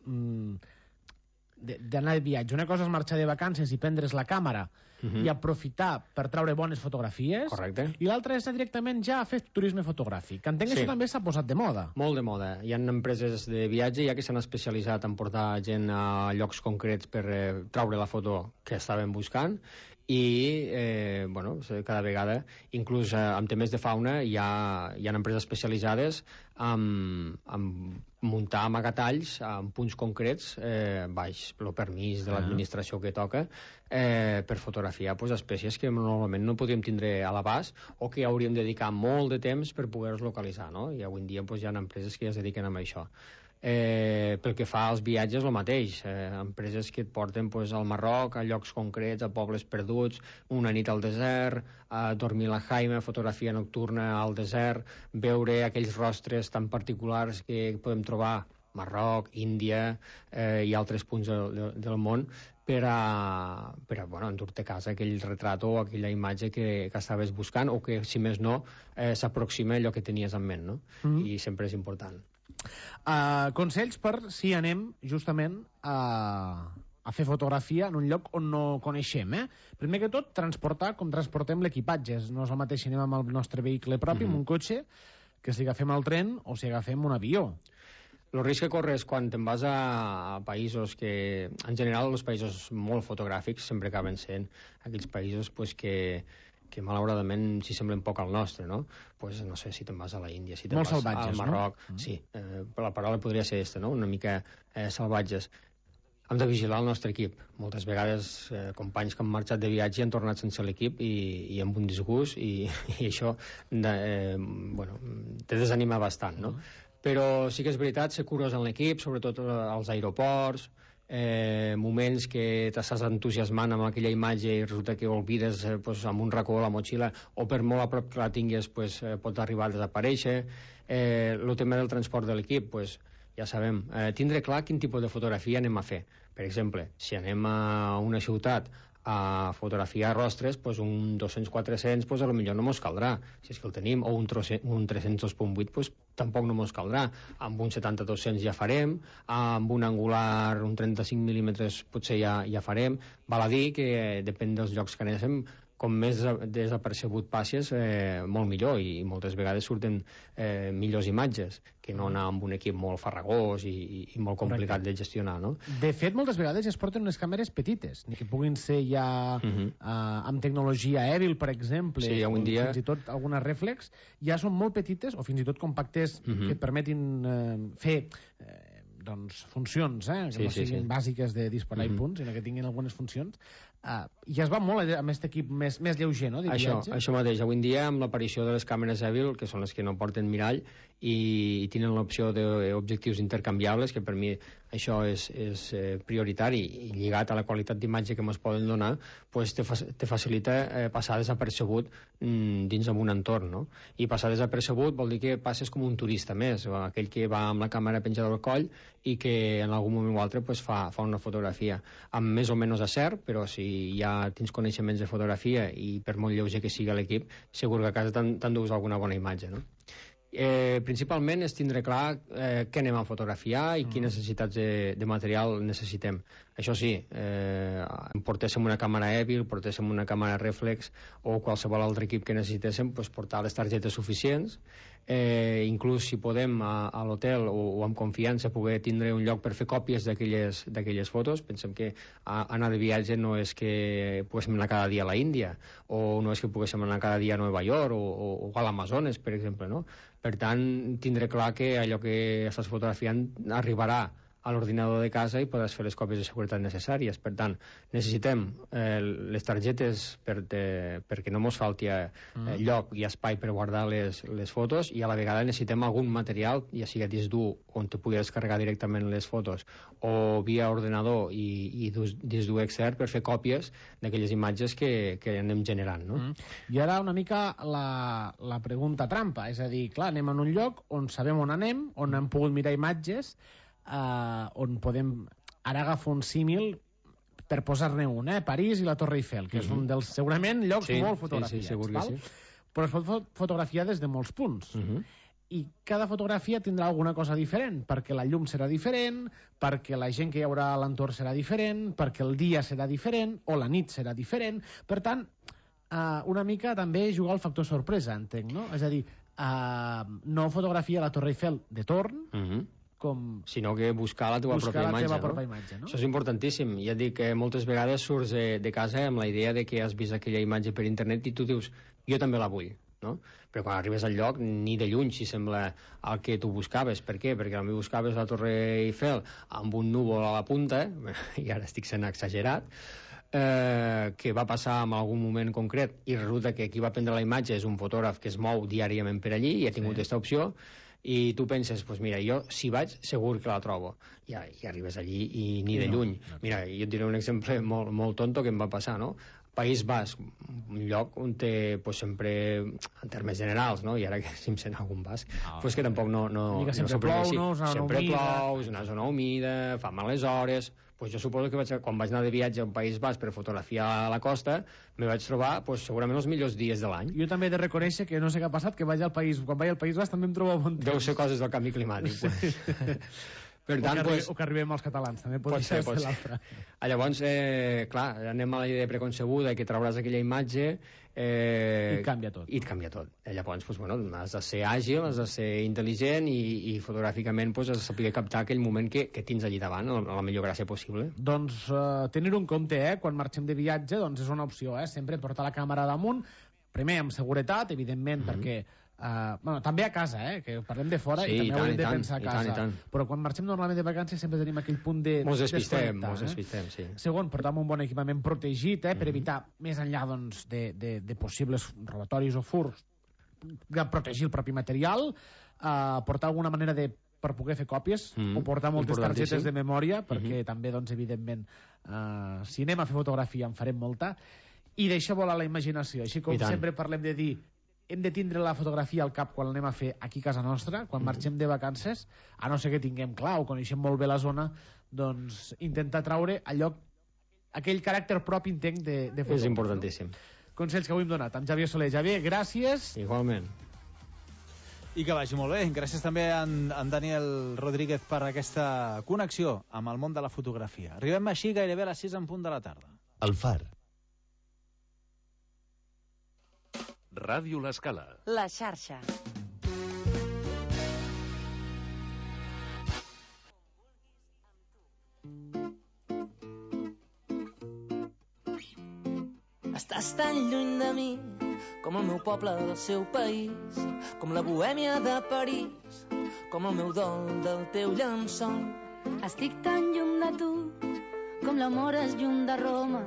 d'anar de viatge. Una cosa és marxar de vacances i prendre's la càmera i aprofitar per treure bones fotografies. Correcte. I l'altra és anar directament ja a fer turisme fotogràfic. Que entenc que això també s'ha posat de moda. Molt de moda. Hi ha empreses de viatge ja que s'han especialitzat en portar gent a llocs concrets per treure la foto que estaven buscant i cada vegada, inclús amb temes de fauna, hi ha empreses especialitzades en muntar amagatalls en punts concrets baix el permís de l'administració que toca per fotografiar espècies que normalment no podríem tindre a l'abast o que hauríem de dedicar molt de temps per poder-los localitzar, no? I avui en dia hi ha empreses que ja es dediquen a això. Pel que fa als viatges, el mateix. Empreses que et porten al Marroc, a llocs concrets, a pobles perduts, una nit al desert, a dormir a la Jaime, fotografia nocturna al desert, veure aquells rostres tan particulars que podem trobar Marroc, Índia i altres punts del món per endur-te a casa aquell retrat o aquella imatge que estaves buscant o que, si més no, s'aproxima a allò que tenies en ment, no? I sempre és important. Consells per si anem justament a fer fotografia en un lloc on no coneixem. Primer que tot, transportar com transportem l'equipatge. No és el mateix si anem amb el nostre vehicle propi, amb un cotxe, que si agafem el tren o si agafem un avió. El risc que corres quan te'n vas a països que, en general, els països molt fotogràfics sempre acaben sent aquells països que malauradament s'hi semblen poc al nostre, no? No sé, si te'n vas a la Índia, si te'n vas al Marroc... Sí, la paraula podria ser aquesta, no? Una mica salvatges. Hem de vigilar el nostre equip. Moltes vegades companys que han marxat de viatge han tornat sense l'equip i amb un disgust i això te desanima bastant, no? Però sí que és veritat, ser curós en l'equip, sobretot als aeroports, moments que t'estàs entusiasmant amb aquella imatge i resulta que oblides amb un racó a la motxilla o per molt a prop que la tingues pot arribar a desaparèixer. El tema del transport de l'equip, ja sabem, tindre clar quin tipus de fotografia anem a fer. Per exemple, si anem a una ciutat a fotografiar rostres, un 200-400 potser no mos caldrà, si és que el tenim, o un 300-2.8 tampoc no mos caldrà. Amb un 70-200 ja farem, amb un angular, un 35 mm potser ja farem. Val a dir que depèn dels llocs que anem, com més desapercebut passes, molt millor, i moltes vegades surten millors imatges que no anar amb un equip molt farragós i molt complicat de gestionar, no? De fet, moltes vegades es porten unes càmeres petites, ni que puguin ser ja amb tecnologia Evil, per exemple, o fins i tot algunes reflex, ja són molt petites, o fins i tot compactes que et permetin fer funcions, que no siguin bàsiques de disparar i punts, sinó que tinguin algunes funcions. I es va molt amb aquest equip més lleuger, no? Això mateix. Avui en dia, amb l'aparició de les càmeres Evil, que són les que no porten mirall i tenen l'opció d'objectius intercanviables, que per mi això és prioritari i lligat a la qualitat d'imatge que ens poden donar, te facilita passar desapercebut dins d'un entorn, no? I passar desapercebut vol dir que passes com un turista més, o aquell que va amb la càmera penjada al coll i que en algun moment o altre fa una fotografia amb més o menys acert, però si ja tens coneixements de fotografia i per molt lleuger que sigui l'equip, segur que a casa t'endús alguna bona imatge, no? Principalment és tindre clar què anem a fotografiar i quines necessitats de material necessitem. Això sí, portéssim una càmera Evil, portéssim una càmera reflex o qualsevol altre equip que necessitéssim, portar les targetes suficients, inclús si podem a l'hotel o amb confiança poder tindre un lloc per fer còpies d'aquelles fotos. Pensem que anar de viatge no és que poguéssim anar cada dia a la Índia o no és que poguéssim anar cada dia a Nova York o a l'Amazones, per exemple, no? Per tant, tindre clar que allò que estàs fotografiant arribarà a l'ordinador de casa i podràs fer les còpies de seguretat necessàries. Per tant, necessitem les targetes perquè no mos falti lloc i espai per guardar les fotos, i a la vegada necessitem algun material, ja sigui disc dur on te pugui descarregar directament les fotos o via ordenador i disc dur extern per fer còpies d'aquelles imatges que anem generant, no? I ara una mica la pregunta trampa, és a dir, clar, anem en un lloc on sabem on anem, on hem pogut mirar imatges, on podem... Ara agafo un símil, per posar-ne un, París i la Torre Eiffel, que és un dels, segurament, llocs molt fotografiats. Sí, segur que sí. Però es pot fotografiar des de molts punts. I cada fotografia tindrà alguna cosa diferent, perquè la llum serà diferent, perquè la gent que hi haurà a l'entorn serà diferent, perquè el dia serà diferent, o la nit serà diferent. Per tant, una mica també jugar al factor sorpresa, entenc, no? És a dir, no fotografia la Torre Eiffel de torn, sinó que buscar la teva pròpia imatge. Això és importantíssim. Ja et dic que moltes vegades surts de casa amb la idea de que has vist aquella imatge per internet i tu dius, jo també la vull, no? Però quan arribes al lloc, ni de lluny si sembla el que tu buscaves. Per què? Perquè potser buscaves la Torre Eiffel amb un núvol a la punta, i ara estic sent exagerat, que va passar en algun moment concret i resulta que qui va prendre la imatge és un fotògraf que es mou diàriament per allí i ha tingut aquesta opció, i tu penses, doncs mira, jo si vaig segur que la trobo, i arribes allí i ni de lluny. Mira, jo et diré un exemple molt tonto que em va passar, no? País Basc, un lloc on té sempre, en termes generals, no? I ara que si em sent algun basc, doncs que tampoc no sempre plou, sempre plou, és una zona humida, fa males hores. Pues jo suposo que quan vaig anar de viatge al País Basc per fotografiar a la costa, me vaig trobar segurament els millors dies de l'any. Jo també he de reconèixer que no sé què ha passat, que quan vaig al País Basc també em trobo bon temps. Deu ser coses del canvi climàtic. Per tant, o que arribem als catalans, també pot ser l'altre. Llavors, clar, anem a la idea preconcebuda que trauràs aquella imatge i et canvia tot. Llavors, has de ser àgil, has de ser intel·ligent i fotogràficament has de saber captar aquell moment que tens allí davant, a la millor gràcia possible. Doncs tenir-ho en compte, quan marxem de viatge, doncs és una opció, sempre portar la càmera damunt, primer amb seguretat, evidentment, perquè també a casa, que parlem de fora i també haurem de pensar a casa. Però quan marxem normalment de vacances sempre tenim aquell punt de desconnectar. Mos despistem, sí. Segon, portar un bon equipament protegit per evitar, més enllà de possibles robatoris o furs, protegir el propi material, portar alguna manera per poder fer còpies o portar moltes targetes de memòria perquè també, evidentment, si anem a fer fotografia en farem molta, i deixar volar la imaginació. Així com sempre parlem de dir hem de tindre la fotografia al cap quan l'anem a fer aquí a casa nostra, quan marxem de vacances, a no ser que tinguem clar o coneixem molt bé la zona, doncs intentar traure aquell caràcter propi, entenc, de fotografia. És importantíssim. Consells que avui hem donat amb Xavier Soler. Xavier, gràcies. Igualment. I que vagi molt bé. Gràcies també a en Daniel Rodríguez per aquesta connexió amb el món de la fotografia. Arribem així gairebé a les 6 en punt de la tarda. El Far. Ràdio L'Escala. La xarxa. Estàs tan lluny de mi com el meu poble del seu país, com la bohèmia de París, com el meu dol del teu llençol. Estic tan lluny de tu com l'amor és lluny de Roma,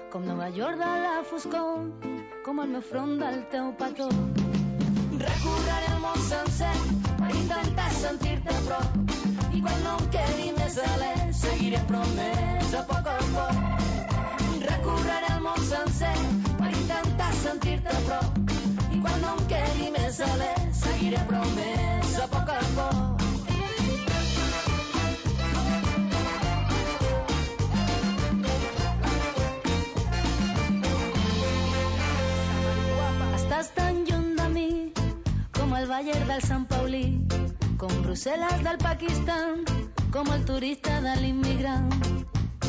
com Nova York de la foscor, com el meu front del teu petó. Recorreré el món sencer per intentar sentir-te a prop, i quan no em quedi més alè seguiré promès a poc. Recorreré el món sencer per intentar sentir-te a prop, i quan no em quedi més alè seguiré promès a poc. Estàs tan lluny de mi com el Bayer del Sant Paulí, com Brussel·les del Pakistan, com el turista de l'immigrant,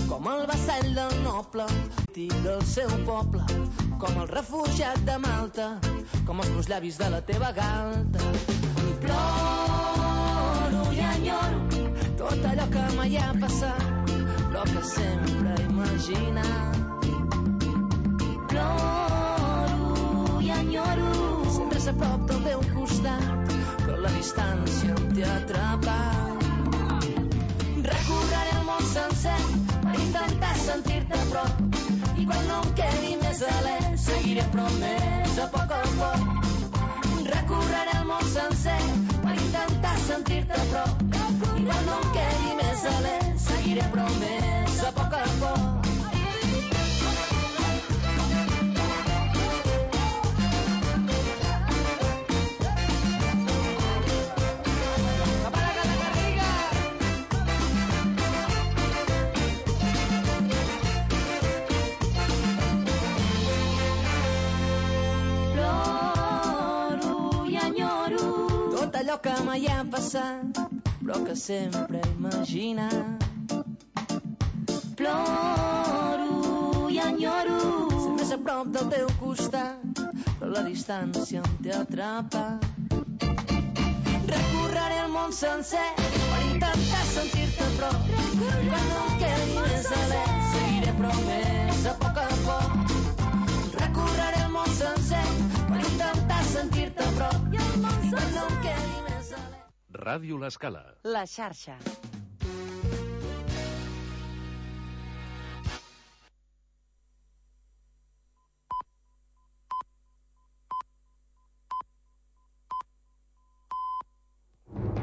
com el vassall del noble del seu poble, com el refugiat de Malta, com els meus llavis de la teva galta. I ploro i enyoro tot allò que mai ha passat, però que sempre he imaginat. Ploro i enyoro sempre ser a prop del teu costat, però la distància em té atrapat. Recorreré el món sencer per intentar sentir-te a prop, i quan no em quedi més alè seguiré promès a poc. Recorreré el món sencer per intentar sentir-te a prop, i quan no em quedi més alè seguiré promès a poc. tot allò que mai ha passat, però que sempre he imaginat. Ploro i enyoro ser més a prop del teu costat, però la distància em té atrapat. Recorreré el món sencer per intentar sentir-te a prop. Quan no em quedi més alè, seguiré promès a poc. Recorreré el món sencer per intentar sentir-te a prop. Quan no em quedi més alè. Ràdio L'Escala. La xarxa.